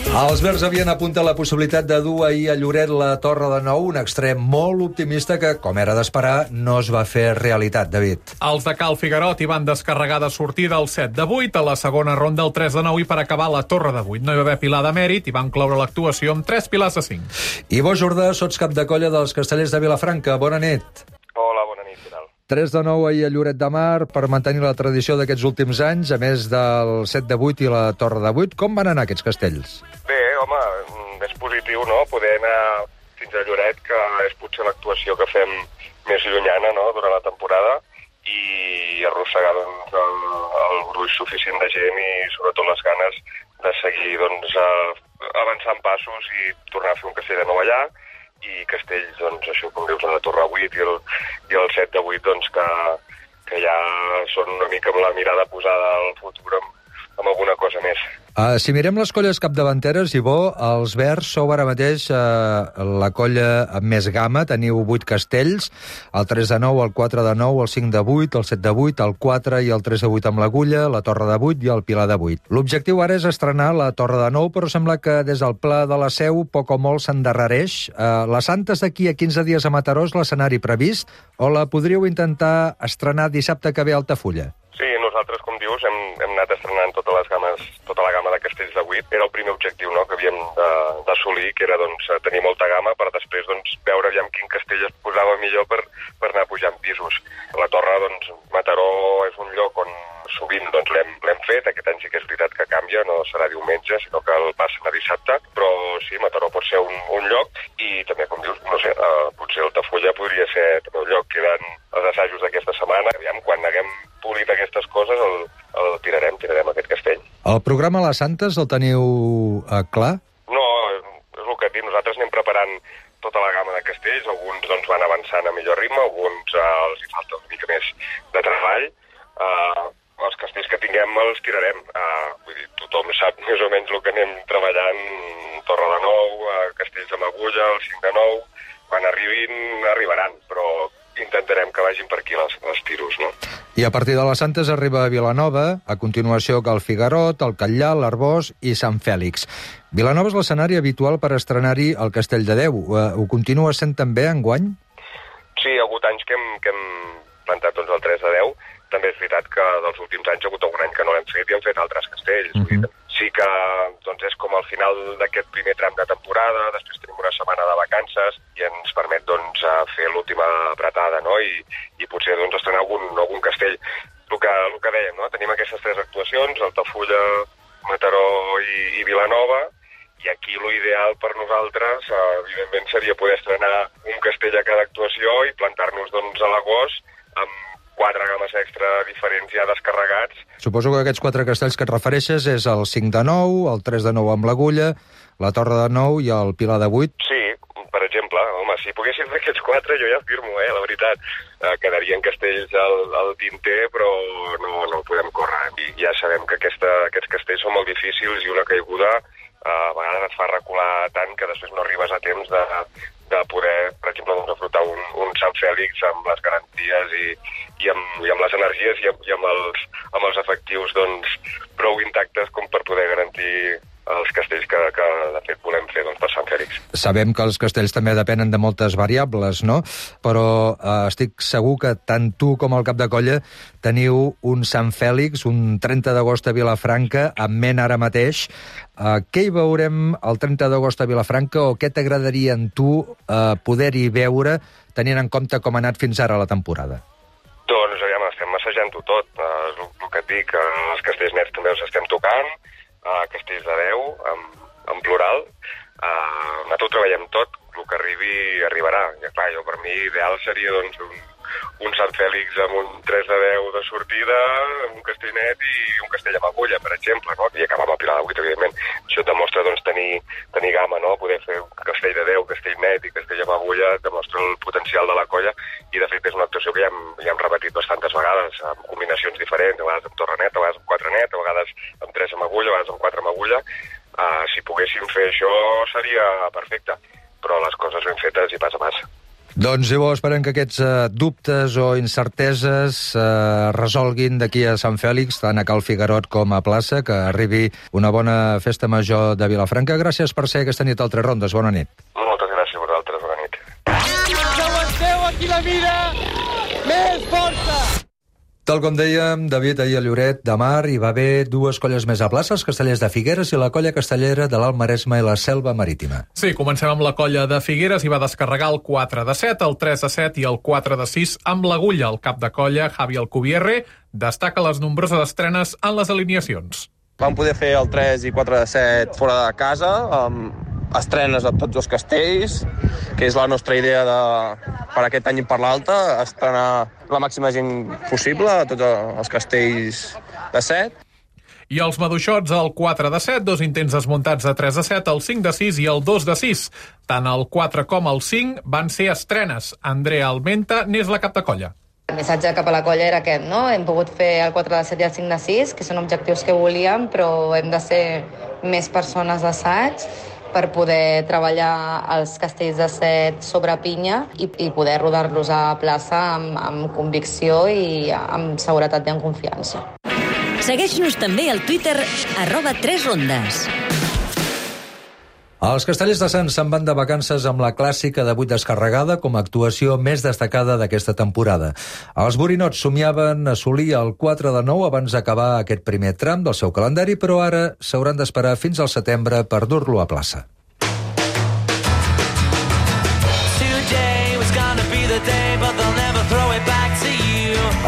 Els verds havien apuntat la possibilitat de dur ahir a Lloret la Torre de Nou, un extrem molt optimista que, com era d'esperar, no es va fer realitat, David. Els de Cal Figuerot hi van descarregar de sortida el set de vuit, a la segona ronda el tres de nou i per acabar la Torre de vuit. No hi va haver pilar de mèrit i van cloure l'actuació amb tres pilars de cinc. Ivo Jordà, sots cap de colla dels castellers de Vilafranca. Bona nit. Hola, bona nit, què tal? tres de nou ahir a Lloret de Mar per mantenir la tradició d'aquests últims anys, a més del set de vuit i la Torre de vuit. Com van anar aquests castells? Bé, home, és positiu, no?, poder anar fins a Lloret, que és potser l'actuació que fem més llunyana, no?, durant la temporada, i arrossegar, doncs, el, el gruix suficient de gent i, sobretot, les ganes de seguir, doncs, avançant passos i tornar a fer un castell de nou allà, i castells, doncs, això, com dius, la Torre vuit i el, i el set de vuit, doncs, que, que ja són una mica amb la mirada posada al futur amb, amb alguna cosa més. Uh, si mirem les colles capdavanteres, Ivo, els verds sou ara mateix uh, la colla amb més gamma, teniu vuit castells, el tres de nou, el quatre de nou, el cinc de vuit, el set de vuit, el quatre i el tres de vuit amb l'agulla, la Torre de vuit i el pilar de vuit. L'objectiu ara és estrenar la Torre de nou, però sembla que des del Pla de la Seu poc o molt s'endarrereix. Uh, la Santes d'aquí a quinze dies a Mataró és l'escenari previst, o la podríeu intentar estrenar dissabte que ve a Altafulla? Sí, nosaltres, com dius, hem, hem anat estrenant totes les games, tota la gamma de castells de vuit. Era el primer objectiu, no?, que havíem d'assolir, que era, doncs, tenir molta gamma per després, doncs, veure aviam quin castell es posava millor per, per anar pujant pisos. La Torre, doncs, Mataró és un lloc on sovint, doncs, l'hem fet. Aquest any sí que és veritat que canvia, no serà diumenge, sinó que el passen a dissabte. Però sí, Mataró pot ser un, un lloc i també, com dius, no sé, uh, potser Altafulla podria ser també un lloc. Queden els assajos d'aquesta setmana. Aviam, quan haguem polit aquestes coses, el, el tirarem, tirarem aquest castell. El programa Les Santes el teniu eh, clar? No, és el que et dic, nosaltres anem preparant tota la gamma de castells, alguns doncs, van avançant a millor ritme, alguns eh, els hi falta una mica més de treball. Eh, els castells que tinguem els tirarem. Eh, vull dir, tothom sap més o menys el que anem treballant, Torre de nou, eh, castells amb agulla, el cinc de nou, quan arribin, arribaran, però intentarem que vagin per aquí les, les tiros, no? I a partir de les Santes arriba a Vilanova, a continuació Cal Figuerot, el Catllà, l'Arbós i Sant Fèlix. Vilanova és l'escenari habitual per estrenar-hi el Castell de Déu. Ho continua sent també enguany? Sí, hi ha hagut anys que hem, que hem plantat doncs, el tres de deu. També és veritat que dels últims anys hi ha hagut algun any que no l'hem fet i hem fet altres castells. Uh-huh. Sí que doncs, és com al final d'aquest primer tram de temporada, després tenim una setmana de vacances i ens permet doncs, fer l'última apretada, no? I, i potser doncs, estrenar algun, algun castell. El que, el que dèiem, no? Tenim aquestes tres actuacions, Altafulla, Mataró i, i Vilanova, i aquí l'ideal per nosaltres, eh, evidentment, seria poder estrenar un castell a cada actuació i plantar-nos doncs, a l'agost amb quatre games extra diferents ja descarregats. Suposo que aquests quatre castells que et refereixes és el cinc de nou, el tres de nou amb l'agulla, la Torre de nou i el Pilar de vuit. Sí, per exemple, home, si poguessin fer aquests quatre jo ja firmo, eh, la veritat. Eh, quedarien castells al, al tinter, però no, no podem córrer. I ja sabem que aquesta, aquests castells són molt difícils i una caiguda eh, a vegades et fa recular tant que després no arribes a temps de, de poder, per exemple, doncs, afrontar un, un Sant Fèlix amb les garanties i, i, amb, i amb les energies i amb, i amb, els, amb els efectius doncs, prou intactes com per poder garantir els castells que, que de fet volem fer doncs, per Sant Fèlix. Sabem que els castells també depenen de moltes variables, no? Però eh, estic segur que tant tu com el cap de colla teniu un Sant Fèlix, un trenta d'agost a Vilafranca, en ment ara mateix. Eh, què hi veurem el trenta d'agost a Vilafranca o què t'agradaria en tu eh, poder-hi veure tenint en compte com ha anat fins ara la temporada? Doncs, aviam, estem assajant-ho tot. Uh, el, el que et dic, uh, els castells nets també els estem tocant, uh, castells de deu, en, en plural. Uh, nosaltres ho treballem tot, el que arribi, arribarà. I, clar, jo, per mi, ideal seria, doncs, un, un Sant Fèlix amb un tres de deu de sortida, un castell net i un castell amb agulla, per exemple, no? I acabar amb el pilar de vuit, evidentment. Això et demostra, doncs, tenir, tenir gamma, no? Poder fer un castell de deu, castell net i castell amb agulla, demostra el potencial de la colla, i de fet és una actuació que ja hem, ja hem repetit bastantes vegades, amb combinacions diferents, a vegades amb torre net, a vegades amb quatre net, a vegades amb tres amb agulla, a vegades amb quatre amb agulla. Uh, si poguéssim fer això seria perfecte, però les coses ben fetes i pas a pas. Doncs llavors esperem que aquests eh, dubtes o incerteses eh, resolguin d'aquí a Sant Fèlix, tant a Cal Figuerot com a plaça, que arribi una bona festa major de Vilafranca. Gràcies per ser aquesta nit al Tres Rondes. Bona nit. Moltes gràcies a vosaltres. Bona nit. Aguanteu aquí la mira! Més força! Tal com dèiem, David, ahir a Lloret de Mar hi va haver dues colles més a plaça, els castellers de Figueres i la colla castellera de l'Alt Maresme i la Selva Marítima. Sí, comencem amb la colla de Figueres i va descarregar el quatre de set, el tres de set i el quatre de sis amb l'agulla. El cap de colla, Javi Alcubierre, destaca les nombroses estrenes en les alineacions. Vam poder fer el tres i quatre de set fora de casa, amb estrenes a tots els castells, que és la nostra idea de, per aquest any i per l'altre, estrenar la màxima gent possible a tots els castells de set. I els maduixots, el quatre de set, dos intents desmuntats de tres de set, el cinc de sis i el dos de sis. Tant el quatre com el cinc van ser estrenes. Andrea Almenta n'és la cap de colla. El missatge cap a la colla era aquest, no? Hem pogut fer el quatre de set i el cinc de sis, que són objectius que volíem, però hem de ser més persones d'assaig per poder treballar els castells de set sobre pinya i, i poder rodar-los a plaça amb, amb convicció i amb seguretat i amb confiança. Segueix-nos també al Twitter arroba tres rondes. Els castellers de Sants se'n van de vacances amb la clàssica de vuit descarregada com a actuació més destacada d'aquesta temporada. Els borinots somiaven assolir el quatre de nou abans d'acabar aquest primer tram del seu calendari, però ara s'hauran d'esperar fins al setembre per dur-lo a plaça.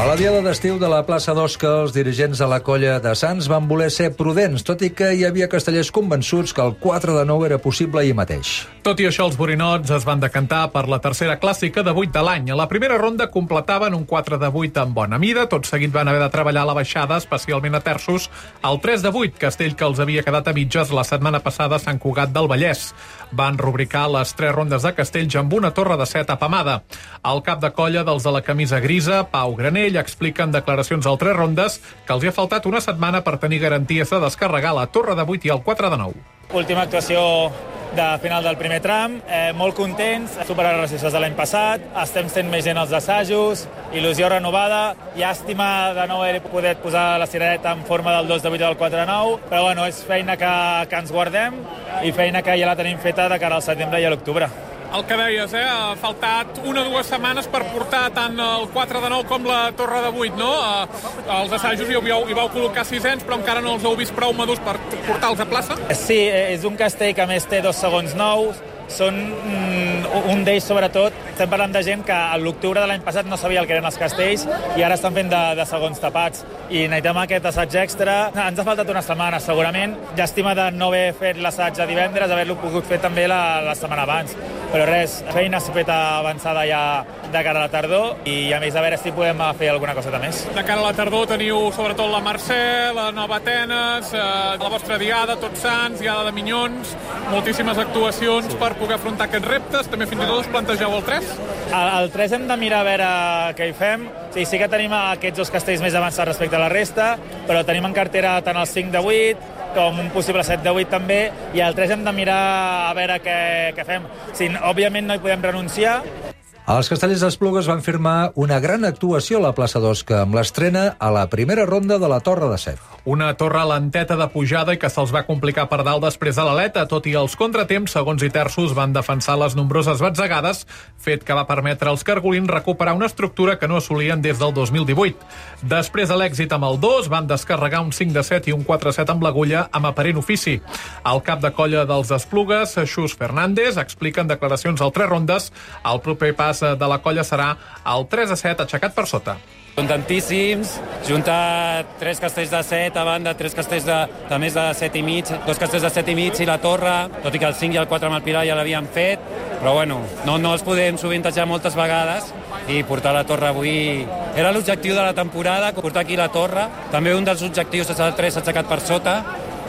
A la diada d'estiu de la plaça d'Osca, els dirigents de la colla de Sants van voler ser prudents, tot i que hi havia castellers convençuts que el quatre de nou era possible ahir mateix. Tot i això, els borinots es van decantar per la tercera clàssica de vuit de l'any. A la primera ronda completaven un quatre de vuit amb bona mida, tot seguit van haver de treballar la baixada, especialment a terços, al tres de vuit, castell que els havia quedat a mitges la setmana passada a Sant Cugat del Vallès. Van rubricar les tres rondes de castells amb una torre de set apamada. El cap de colla dels de la camisa grisa, Pau Granell, explica en declaracions al Tres Rondes que els hi ha faltat una setmana per tenir garanties de descarregar la torre de vuit i el quatre de nou. Última actuació de final del primer tram, eh, molt contents, superar les resistències de l'any passat, estem sent més gent als assajos, il·lusió renovada, llàstima de no haver poder posar la cirereta en forma del dos de vuit i del quatre de nou, però bueno, és feina que, que ens guardem i feina que ja la tenim feta de cara al setembre i a l'octubre. El que deies, eh? Ha faltat una o dues setmanes per portar tant el quatre de nou com la torre de vuit, no? Els assajos hi vau, hi vau col·locar sisens, però encara no els heu vist prou madurs per portar-los a plaça? Sí, és un castell que a més té dos segons nous, són mm, un d'ells sobretot, estem parlant de gent que a l'octubre de l'any passat no sabia el que eren els castells i ara estan fent de, de segons tapats i necessitem aquest assaig extra. Ens ha faltat una setmana segurament, llàstima de no haver fet l'assaig de divendres, haver-lo pogut fer també la, la setmana abans, però res, feina feta avançada ja de cara a la tardor i a més a veure si podem fer alguna coseta més. De cara a la tardor teniu sobretot la Mercè, la Nova Atenes, eh, la vostra diada, Tots Sants, diada de Minyons, moltíssimes actuacions per poder afrontar aquests reptes. També fins i tot us plantegeu el tres? El, el tres hem de mirar a veure què hi fem. Sí, sí que tenim aquests dos castells més avançats respecte a la resta, però tenim en cartera tant el cinc de vuit com un possible set de vuit també, i el tres hem de mirar a veure què, què fem. Sí, òbviament no hi podem renunciar. Els castellers d'Esplugues van firmar una gran actuació a la plaça d'Osca amb l'estrena a la primera ronda de la Torre de Set. Una torre lenteta de pujada i que se'ls va complicar per dalt després de l'aleta, tot i els contratemps, segons i terços, van defensar les nombroses batzegades, fet que va permetre als cargolins recuperar una estructura que no assolien des del dos mil divuit. Després de l'èxit amb el dos, van descarregar un cinc de set i un quatre set amb l'agulla amb aparent ofici. El cap de colla dels Esplugues, Xus Fernández, explica en declaracions al Tres Rondes el proper pas de la colla serà el tres a set aixecat per sota. Són tantíssims, junta tres castells de set, a banda tres castells de, de més de set i mig, dos castells de set i mig i la torre, tot i que el cinc i el quatre amb el Pilar ja l'havien fet, però bueno, no, no els podem sovintejar moltes vegades i portar la torre avui era l'objectiu de la temporada, portar aquí la torre. També un dels objectius és el tres aixecat per sota,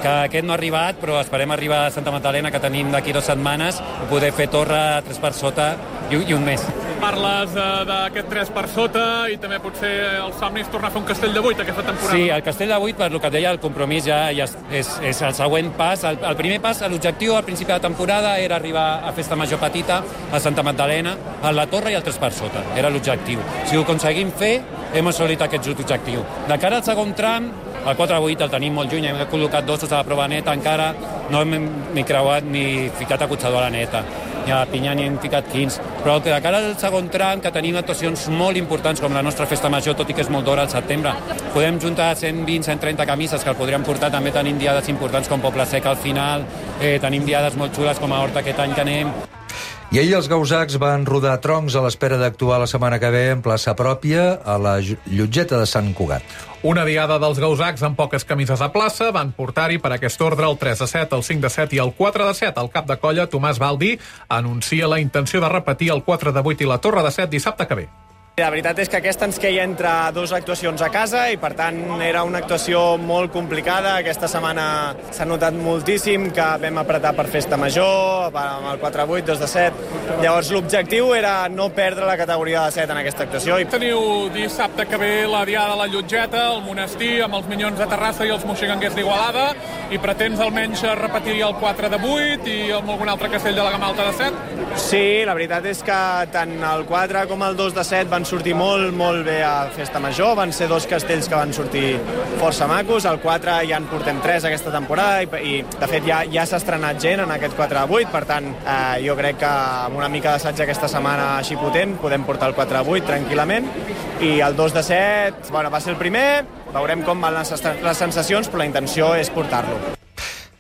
que aquest no ha arribat, però esperem arribar a Santa Magdalena, que tenim d'aquí dues setmanes, i poder fer torre tres per sota i, i un mes. Parles uh, d'aquest tres per sota i també potser el somni és tornar a fer un castell de vuit aquesta temporada. Sí, el castell de vuit, per el que et deia, el compromís ja, ja és, és, és el següent pas. El, el primer pas, l'objectiu al principi de la temporada era arribar a Festa Major Petita, a Santa Magdalena, a la torre i el tres per sota. Era l'objectiu. Si ho aconseguim fer, hem assolit aquest objectiu. De cara al segon tram, el quatre a vuit el tenim molt lluny, hem col·locat dos a la prova neta, encara no hem ni creuat ni ficat acotxador a la neta. Ni a la pinya ni hem ficat quinze. Però de cara al segon tram, que tenim actuacions molt importants com la nostra festa major, tot i que és molt d'hora al setembre, podem juntar cent vint a cent trenta camises que el podríem portar. També tenim diades importants com Poble Sec al final, eh, tenim diades molt xules com a Horta aquest any que anem. I ahir els gausacs van rodar troncs a l'espera d'actuar la setmana que ve en plaça pròpia a la Llotgeta de Sant Cugat. Una diada dels gausacs amb poques camises a plaça van portar-hi per aquest ordre el tres a set, el cinc de set i el quatre de set. El cap de colla, Tomàs Baldi, anuncia la intenció de repetir el quatre de vuit i la torre de set dissabte que ve. La veritat és que aquesta ens queia entre dues actuacions a casa i, per tant, era una actuació molt complicada. Aquesta setmana s'ha notat moltíssim que vam apretar per Festa Major, amb el quatre a vuit, dos de set. Llavors, l'objectiu era no perdre la categoria de set en aquesta actuació. Teniu dissabte que ve la diada de la Llotgeta, el monestir, amb els Minyons de Terrassa i els Moixigangers d'Igualada, i pretens almenys repetir el quatre de vuit i amb algun altre castell de la gamma alta de set? Sí, la veritat és que tant el quatre com el dos de set van sortir molt, molt bé a Festa Major. Van ser dos castells que van sortir força macos. El quatre ja en portem tres aquesta temporada i, i de fet, ja, ja s'ha estrenat gent en aquest quatre a vuit. Per tant, eh, jo crec que amb una mica d'assaig aquesta setmana així potent podem portar el quatre a vuit tranquil·lament. I el dos de set, bueno, va ser el primer. Veurem com van les, les sensacions, però la intenció és portar-lo.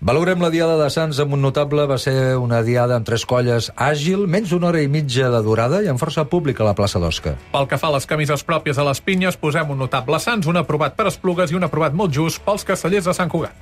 Valorem la diada de Sants amb un notable. Va ser una diada amb tres colles àgil, menys d'una hora i mitja de durada i amb força públic a la plaça d'Osca. Pel que fa a les camises pròpies a les pinyes, posem un notable Sants, un aprovat per Esplugues i un aprovat molt just pels castellers de Sant Cugat.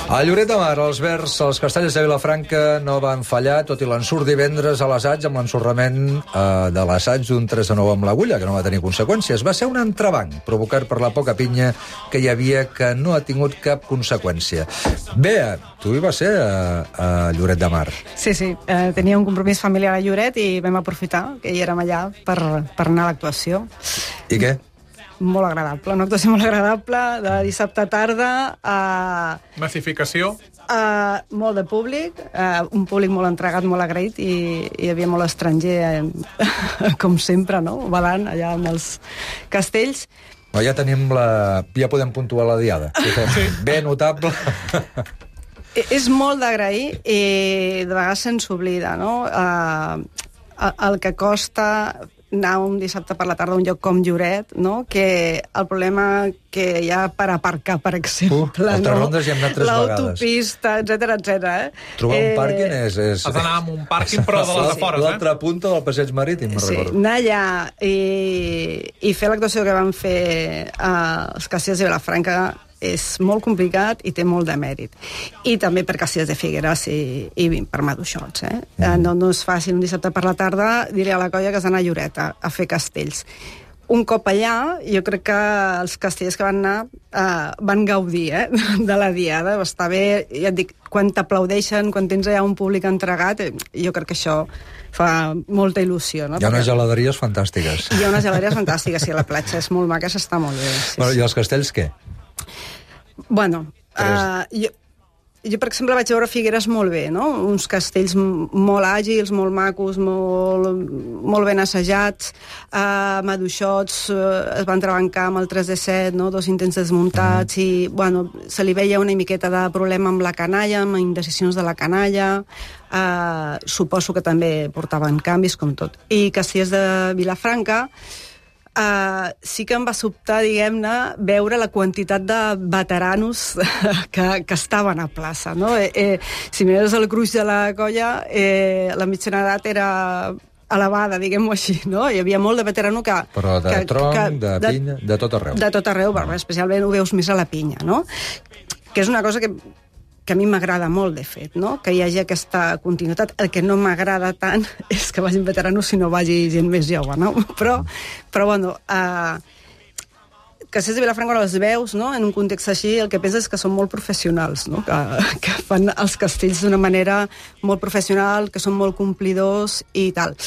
A Lloret de Mar, els verds, els castellers de Vilafranca no van fallar, tot i l'ensurt divendres a l'assaig amb l'ensorrament eh, de l'assaig d'un tres a nou amb l'agulla, que no va tenir conseqüències. Va ser un entrebanc provocat per la poca pinya que hi havia, que no ha tingut cap conseqüència. Bea, tu hi vas ser a, a Lloret de Mar. Sí, sí. Eh, tenia un compromís familiar a Lloret i vam aprofitar que hi érem allà per, per anar a l'actuació. I què? Molt agradable, una actuació molt agradable, de dissabte tarda. Uh, Massificació? Uh, molt de públic, uh, un públic molt entregat, molt agraït, i hi havia molt estranger, eh, com sempre, no? Balant allà amb els castells. No, ja tenim la... ja podem puntuar la diada. Sí. Bé notable. És molt d'agrair i de vegades se'ns oblida, no? Uh, el que costa anar un dissabte per la tarda a un lloc com Lloret, no? Que el problema que hi ha per aparcar, per exemple, uh, no? Rondes hi hem anat tres vegades. L'autopista, etcètera, etcètera. Eh? Trobar eh... un pàrquing és... és... Has d'anar amb un pàrquing, però de les afores, eh? L'altra punta del passeig marítim, me'n sí, recordo. anar allà i, i fer l'actuació que van fer els castellers de Vilafranca és molt complicat i té molt de mèrit. I també per Castellers de Figueres i, i per Maduixots. Eh? Mm. No, no és fàcil un dissabte per la tarda, diré a la colla que has d'anar a Lloret a, a fer castells. Un cop allà, jo crec que els castellers que van anar eh, van gaudir eh, de la diada. Està bé, ja et dic, quan t'aplaudeixen, quan tens allà un públic entregat, jo crec que això fa molta il·lusió. No? Hi ha unes geladeries fantàstiques. Hi ha unes geladeries fantàstiques, i la platja és molt maca, s'està molt bé. Sí, bueno, sí. I els castells què? Bueno, uh, jo, jo, per exemple, vaig veure Figueres molt bé, no? Uns castells molt àgils, molt macos, molt, molt ben assajats, uh, maduixots, uh, es van trebancar amb el tres de set, no? Dos intents desmuntats, mm. i, bueno, se li veia una miqueta de problema amb la canalla, amb indecisions de la canalla, uh, suposo que també portaven canvis, com tot. I Castellers de Vilafranca, Uh, sí que em va sobtar, diguem-ne, veure la quantitat de veteranos que, que estaven a plaça, no? Eh, eh, si mires el gruix de la colla, eh, la mitjana edat era elevada, diguem-ho així, no? Hi havia molt de veterano que... Però de que, tronc, que, de pinya, de, de tot arreu. De tot arreu, però especialment ho veus més a la pinya, no? Que és una cosa que... que a mi m'agrada molt, de fet, no? Que hi hagi aquesta continuïtat. El que no m'agrada tant és que vagin veteranos si no vagi gent més jove, no? Però, però bueno, uh, Castellers de Vilafranca, quan els veus, no? En un context així, el que penses és que són molt professionals, no? Que, que fan els castells d'una manera molt professional, que són molt complidors i tal.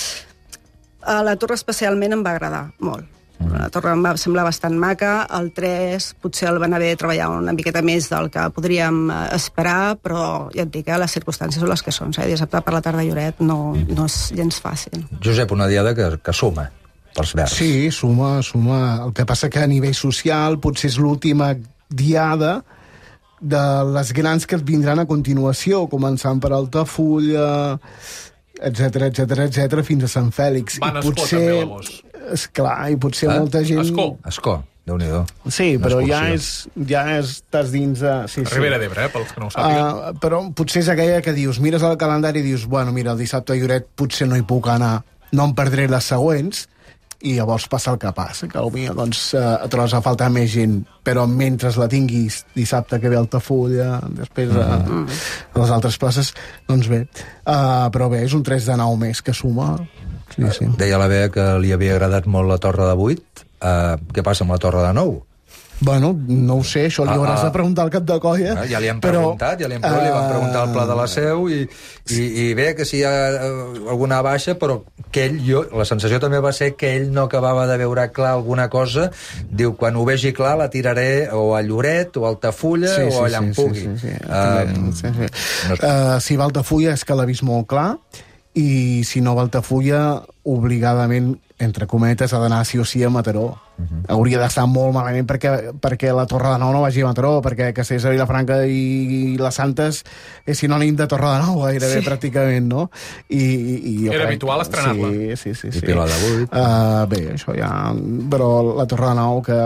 A la Torre especialment em va agradar molt. La torre em va semblar bastant maca, el tres potser el van haver treballat una miqueta més del que podríem esperar, però ja et dic, eh, les circumstàncies són les que són. Eh? Dissabte per la tarda Lloret no, no és gens fàcil. Josep, una diada que, que suma pels verds. Sí, suma, suma. El que passa que a nivell social potser és l'última diada de les grans que vindran a continuació, començant per Altafulla, etcètera, etcètera, etcètera, fins a Sant Fèlix. Van I potser... també, llavors. Esclar, i potser eh? molta gent... Escó. Escó, Déu-n'hi-do. Sí, però ja és, ja estàs dins de... Sí, sí. Ribera d'Ebre, eh, pels que no ho sàpiguen. Uh, però potser és aquella que dius, mires el calendari i dius, bueno, mira, el dissabte a Lloret potser no hi puc anar, no em perdré les següents, i llavors passa el que passa, que potser doncs, uh, trobes a faltar més gent, però mentre la tinguis dissabte que ve Altafulla, després a uh, mm. les altres places, doncs bé. Uh, però bé, és un tres de nou més que suma... Sí, sí. Deia la Bea que li havia agradat molt la Torre de vuit. Uh, què passa amb la Torre de nou? Bueno, no ho sé, això li hauràs ah, ah. de preguntar al cap de colla. Ah, ja li hem però, preguntat, ja li hem preguntat, uh, li vam preguntar al Pla de la Seu, i, i, i bé, que si hi ha alguna baixa, però que ell, jo, la sensació també va ser que ell no acabava de veure clar alguna cosa. Diu, quan ho vegi clar la tiraré o a Lloret, o a Altafulla, sí, sí, o allà en sí, pugui. Sí, sí, sí. Uh, sí, sí. No... Uh, si va a Altafulla és que l'ha vist molt clar, i si no va a Altafulla, obligadament, entre cometes, ha d'anar sí o sí a Mataró. Uh-huh. Hauria d'estar molt malament perquè, perquè la Torre de Nou no vagi a Mataró, perquè Castellers de Vilafranca i, i les Santes és sinònim de Torre de Nou, gairebé, sí. pràcticament, no? I, i, i jo Era crec... habitual estrenar-la. Sí, sí, sí. I sí. Pilar de vuit. Uh, bé, això ja... Però la Torre de Nou, que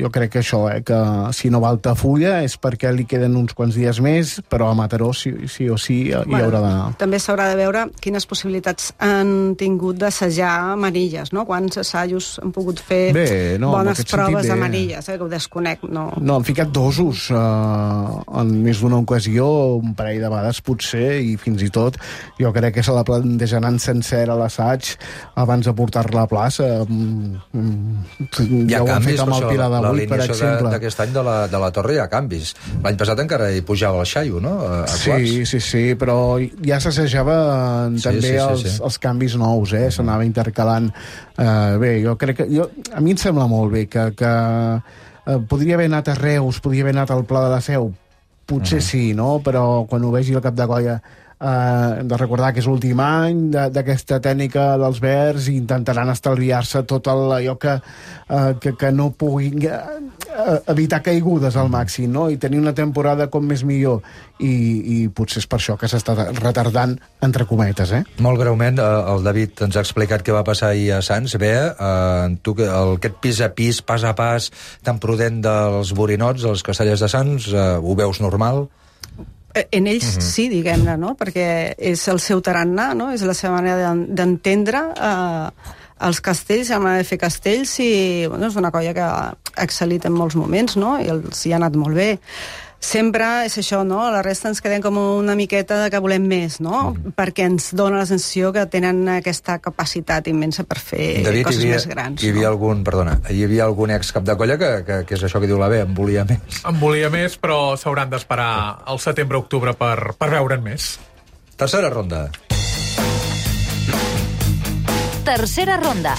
jo crec que això, eh, que si no va a Altafulla és perquè li queden uns quants dies més, però a Mataró sí, sí o sí hi bueno, haurà d'anar. També s'haurà de veure quines possibilitats han tingut d'assajar manilles, no? Quants assajos han pogut fer bé, no, bones proves bé. de manilles, eh, que ho desconec, no... No, han ficat dosos uh, en més d'una ocasió, un parell de vegades potser, i fins i tot jo crec que se la plantejaran sencera l'assaig abans de portar-la a plaça. Mm, hi ha ja canvis, amb el Pilar de vuit, per exemple. D'aquest any de la, de la Torre hi ha canvis. L'any passat encara hi pujava el xaio, no? A, a sí, sí, sí, però ja s'assajava sí, també sí, sí, els, sí. els canvis nous, eh? S'anava intercalant. Uh, bé, jo crec que... Jo, a mi em sembla molt bé que, que uh, podria haver anat a Reus, podria haver anat al Pla de la Seu, potser uh -huh. sí, no? Però quan ho vegi al cap de colla uh, hem de recordar que és l'últim any d'aquesta tècnica dels verds i intentaran estalviar-se tot el, allò que, uh, que, que no puguin uh, evitar caigudes al màxim, no? I tenir una temporada com més millor, i, i potser és per això que s'està retardant, entre cometes, eh? Molt greument, el David ens ha explicat què va passar ahir a Sants. Bé, eh, tu, el, aquest pis a pis, pas a pas, tan prudent dels borinots, dels Castellers de Sants, eh, ho veus normal? En ells uh-huh. sí, diguem-ne, no? Perquè és el seu tarannà, no? És la seva manera d'entendre eh, els castells, la manera de fer castells, i bueno, és una colla que ha excel·lit en molts moments, no? I els hi ha anat molt bé. Sempre és això, no? La resta ens quedem com una miqueta que volem més, no? Mm. Perquè ens dona la sensació que tenen aquesta capacitat immensa per fer David, coses havia, més grans. Hi havia no? algun, perdona, hi havia algun ex-cap de colla que, que, que és això que diu la B, en volia més. En volia més, però s'hauran d'esperar al setembre-octubre per, per veure'n més. Tercera ronda. Tercera ronda.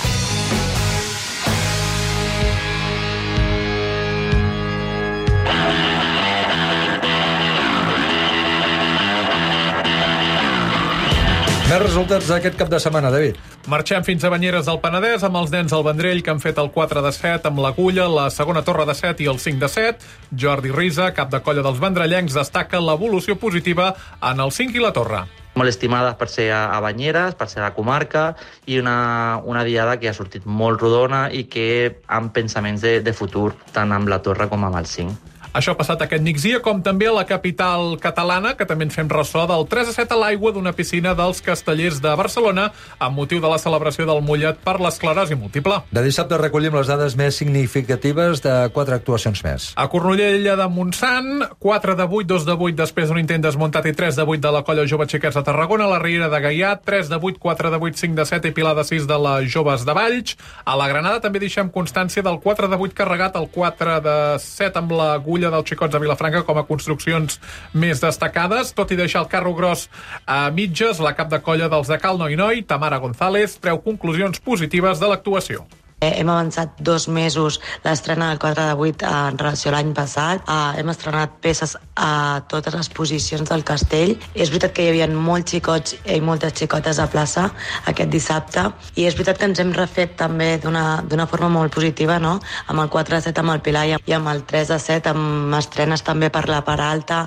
Més resultats d'aquest cap de setmana, David. Marxem fins a Banyeres del Penedès amb els nens al Vendrell, que han fet el quatre de set amb l'Agulla, la segona torre de set i el cinc de set. Jordi Risa, cap de colla dels vendrellencs, destaca l'evolució positiva en el cinc i la torre. Molt estimades per ser a Banyeres, per ser a la comarca, i una, una diada que ha sortit molt rodona i que amb pensaments de, de futur, tant amb la torre com amb el cinc. Això ha passat aquest migdia, com també a la capital catalana, que també ens fem ressò del tres a set a l'aigua d'una piscina dels Castellers de Barcelona amb motiu de la celebració del Mollet per l'esclerosi múltiple. De dissabte recollim les dades més significatives de quatre actuacions més. A Cornudella de Montsant, quatre de vuit, dos de vuit després d'un intent desmuntat i tres de vuit de la colla Jove Xiquets de Tarragona. A la Riera de Gaià, tres de vuit, quatre de vuit, cinc de set i Pilar de sis de les Joves de Valls. A la Granada també deixem constància del quatre de vuit carregat, el quatre de set amb l'Agulla dels Xicots de Vilafranca com a construccions més destacades. Tot i deixar el carro gros a mitges, la cap de colla dels de Cal Noi Noi, Tamara González, treu conclusions positives de l'actuació. Hem avançat dos mesos l'estrena del quatre de vuit en relació a l'any passat. Uh, hem estrenat peces a totes les posicions del castell. És veritat que hi havia molts xicots i moltes xicotes a plaça aquest dissabte, i és veritat que ens hem refet també d'una forma molt positiva, no? Amb el quatre de set amb el Pilar i amb el tres de set amb estrenes també per la part alta.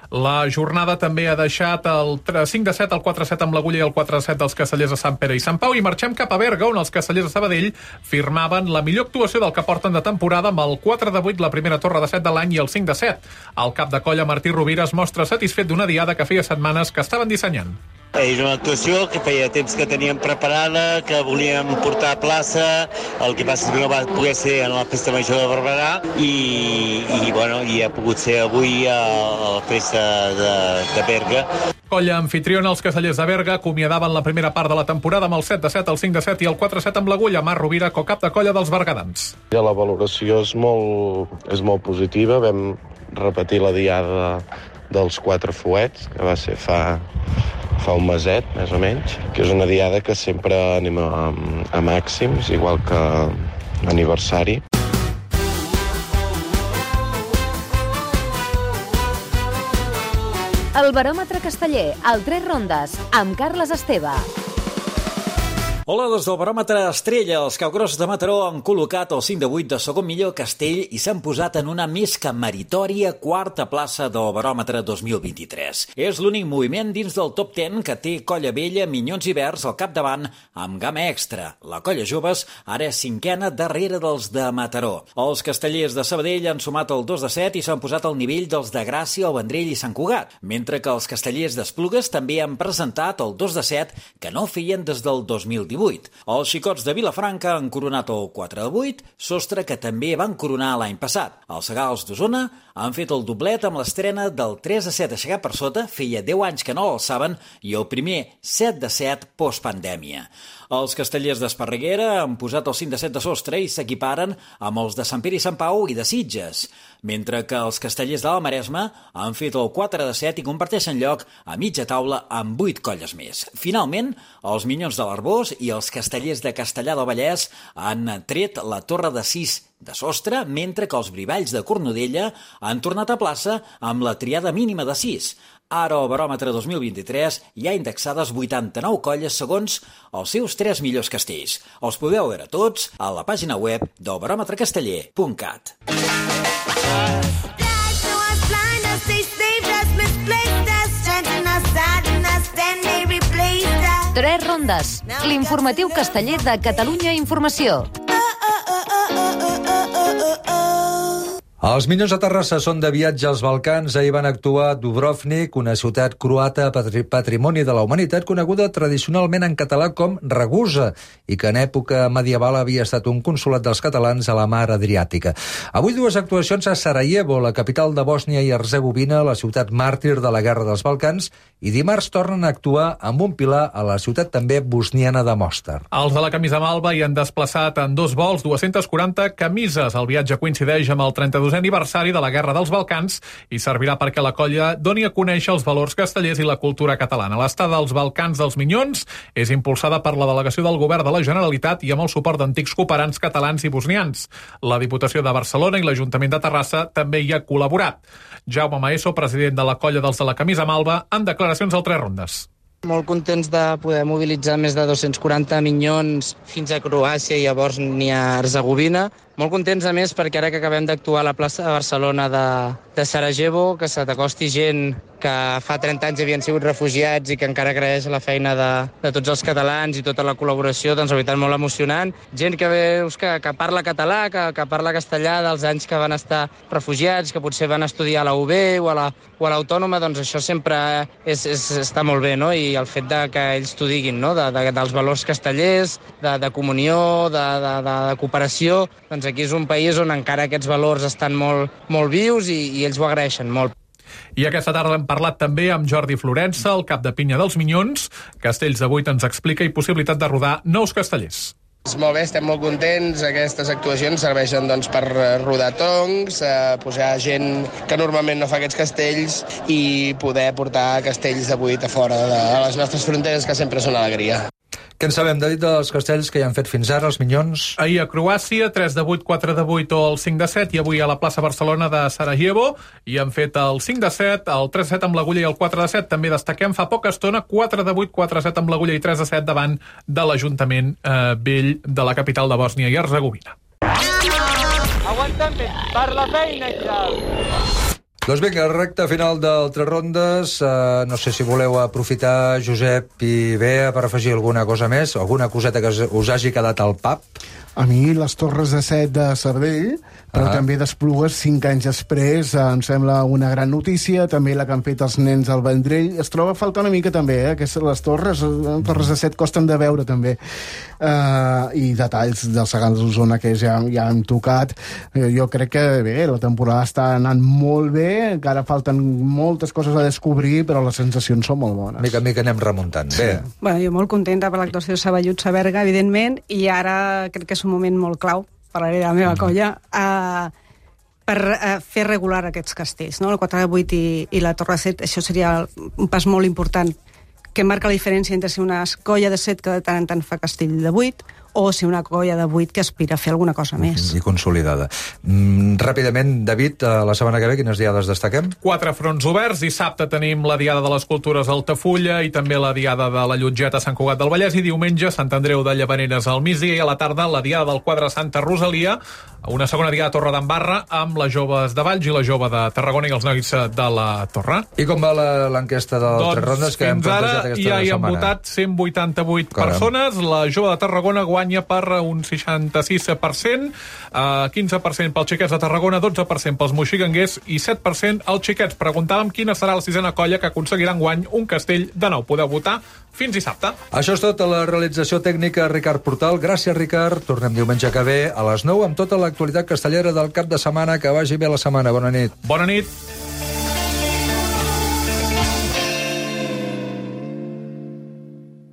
La jornada també ha deixat el cinc de set, el quatre de set amb l'Agulla i el quatre de set dels Castellers de Sant Pere i Sant Pau, i marxem cap a Berga, on els Castellers de Sabadell firmaven la millor actuació del que porten de temporada amb el quatre de vuit, la primera torre de set de l'any, i el cinc de set. El cap de colla Martí Rovira es mostra satisfet d'una diada que feia setmanes que estaven dissenyant. És una actuació que feia temps que teníem preparada, que volíem portar a plaça, el que passa és que no va poder ser en la Festa Major de Barberà, i, i, bueno, i ha pogut ser avui a la Festa de, de Berga. Colla anfitriona, els Castellers de Berga acomiadaven la primera part de la temporada amb el set de set, el cinc de set i el quatre de set amb l'Agulla. Mar Rovira, co-cap de colla dels bergadans. La valoració és molt, és molt positiva. Vam repetir la diada dels quatre fuets, que va ser fa... fa un meset, més o menys, que és una diada que sempre anem a, a màxims, igual que aniversari. El baròmetre casteller, al Tres Rondes, amb Carles Esteve. Hola, des del baròmetre Estrella, els Capgrossos de Mataró han col·locat el cinc de vuit de segon millor castell i s'han posat en una més que meritòria quarta plaça del baròmetre dos mil vint-i-tres. És l'únic moviment dins del top deu que té Colla Vella, Minyons i Verds al capdavant amb gamma extra. La Colla Joves ara és cinquena darrere dels de Mataró. Els Castellers de Sabadell han sumat el dos de set i s'han posat al nivell dels de Gràcia, el Vendrell i Sant Cugat, mentre que els Castellers d'Esplugues també han presentat el dos de set que no feien des del dos mil divuit. Els Xicots de Vilafranca han coronat el quatre de vuit, sostre que també van coronar l'any passat. Els Segals d'Osona han fet el doblet amb l'estrena del tres de set aixecat per sota, feia deu anys que no l'alçaven, i el primer set de set postpandèmia. Els Castellers d'Esparreguera han posat el cinc de set de sostre i s'equiparen amb els de Sant Pere i Sant Pau i de Sitges, mentre que els Castellers de la Maresma han fet el quatre de set i comparteixen lloc a mitja taula amb vuit colles més. Finalment, els Minyons de l'Arbós i els Castellers de Castellar del Vallès han tret la torre de sis de sostre, mentre que els Brivalls de Cornudella han tornat a plaça amb la triada mínima de sis. Ara, al baròmetre dos mil vint-i-tres, hi ha indexades vuitanta-nou colles segons els seus tres millors castells. Els podeu veure tots a la pàgina web del baròmetre casteller punt cat. Tres Rondes, l'informatiu casteller de Catalunya Informació. Els Minyons de Terrassa són de viatge als Balcans. Ahir van actuar a Dubrovnik, una ciutat croata patrimoni de la humanitat coneguda tradicionalment en català com Ragusa i que en època medieval havia estat un consolat dels catalans a la mar Adriàtica. Avui dues actuacions a Sarajevo, la capital de Bòsnia i Herzegovina, la ciutat màrtir de la Guerra dels Balcans, i dimarts tornen a actuar amb un pilar a la ciutat també bosniana de Mostar. Els de la camisa malva hi han desplaçat en dos vols dues-centes quaranta camises. El viatge coincideix amb el trenta-dosè aniversari de la Guerra dels Balcans i servirà perquè la colla doni a conèixer els valors castellers i la cultura catalana. L'estada als Balcans dels Minyons és impulsada per la delegació del Govern de la Generalitat i amb el suport d'antics cooperants catalans i bosnians. La Diputació de Barcelona i l'Ajuntament de Terrassa també hi ha col·laborat. Jaume Maeso, president de la colla dels de la camisa malva, en declaracions al Tres Rondes. Molt contents de poder mobilitzar més de dos-cents quaranta minyons fins a Croàcia i llavors ni a Herzegovina. Molt contents, a més, perquè ara que acabem d'actuar a la plaça de Barcelona de, de Sarajevo, que se t'acosti gent que fa trenta anys havien sigut refugiats i que encara agraeix la feina de, de tots els catalans i tota la col·laboració, doncs la veritat molt emocionant. Gent que veus que, que parla català, que, que parla castellà dels anys que van estar refugiats, que potser van estudiar a la U B o a la, o a l'Autònoma, doncs això sempre és, és, està molt bé, no? I el fet de que ells t'ho diguin, no? De, de, dels valors castellers, de, de comunió, de, de, de, de cooperació, doncs aquí és un país on encara aquests valors estan molt, molt vius i, i ells ho agraeixen molt. I aquesta tarda hem parlat també amb Jordi Florença, el cap de pinya dels Minyons. Castells de vuit ens explica i possibilitat de rodar nous castellers. Molt bé, estem molt contents. Aquestes actuacions serveixen doncs, per rodar tongs, eh, posar gent que normalment no fa aquests castells i poder portar castells de vuit a fora de les nostres fronteres, que sempre són alegria. Què en sabem, David, dels castells que hi han fet fins ara, els Minyons? Ahir a Croàcia, tres de vuit, quatre de vuit o el cinc de set, i avui a la plaça Barcelona de Sarajevo, i han fet el cinc de set, el tres de set amb l'agulla i el quatre de set. També destaquem fa poca estona quatre de vuit, quatre de set amb l'agulla i tres de set davant de l'Ajuntament eh, vell de la capital de Bòsnia i Herzegovina. Aguanta'm bé, per la feina, Xavi. Doncs vinga, recta final del Tres Rondes. Uh, no sé si voleu aprofitar, Josep i Bea, per afegir alguna cosa més, alguna coseta que us hagi quedat al pap. A mi les Torres de Set de Sabadell, però ah. també d'Esplugues cinc anys després, eh, em sembla una gran notícia. També la que han fet els nens al Vendrell. Es troba a faltar una mica també, eh? Aquestes, les torres, les Torres de Set costen de veure també. Uh, I detalls dels Segals d'Osona que ja, ja hem tocat. Uh, jo crec que bé, la temporada està anant molt bé, encara falten moltes coses a descobrir, però les sensacions són molt bones. Mica en mica anem remuntant. Sí. Bé. Bueno, jo molt contenta per l'actuació de Saballuts a Berga, evidentment, i ara crec que és un moment molt clau, parlaré de la meva mm. colla, uh, per uh, fer regular aquests castells, no? El quatre de vuit i, i la Torre de Set. Això seria un pas molt important, que marca la diferència entre si una colla de set que de tant en tant fa castell de vuit o si una colla de vuit que aspira a fer alguna cosa més. I consolidada. Mm, ràpidament, David, la setmana que ve, quines diades destaquem? Quatre fronts oberts. Dissabte tenim la Diada de les Cultures a Altafulla i també la Diada de la Llotgeta a Sant Cugat del Vallès, i diumenge Sant Andreu de Llavaneres al migdia, i a la tarda la Diada del Quadre Santa Rosalia, una segona Diada a Torre d'Embarra amb les joves de Valls i la jove de Tarragona i els nois de la Torre. I com va l'enquesta del doncs, Tres Rondes que hem plantejat aquesta setmana? Ja hi han votat cent vuitanta-vuit Caram. persones. La jove de Tarragona guanya per un seixanta-sis per cent, uh, quinze per cent pels xiquets de Tarragona, dotze per cent pels moixiganguers i set per cent als xiquets. Preguntàvem quina serà la sisena colla que aconseguirà enguany un castell de nou. Podeu votar fins dissabte. Això és tot a la realització tècnica, Ricard Portal. Gràcies, Ricard. Tornem diumenge que ve a les nou amb tota l'actualitat castellera del cap de setmana. Que vagi bé la setmana. Bona nit. Bona nit.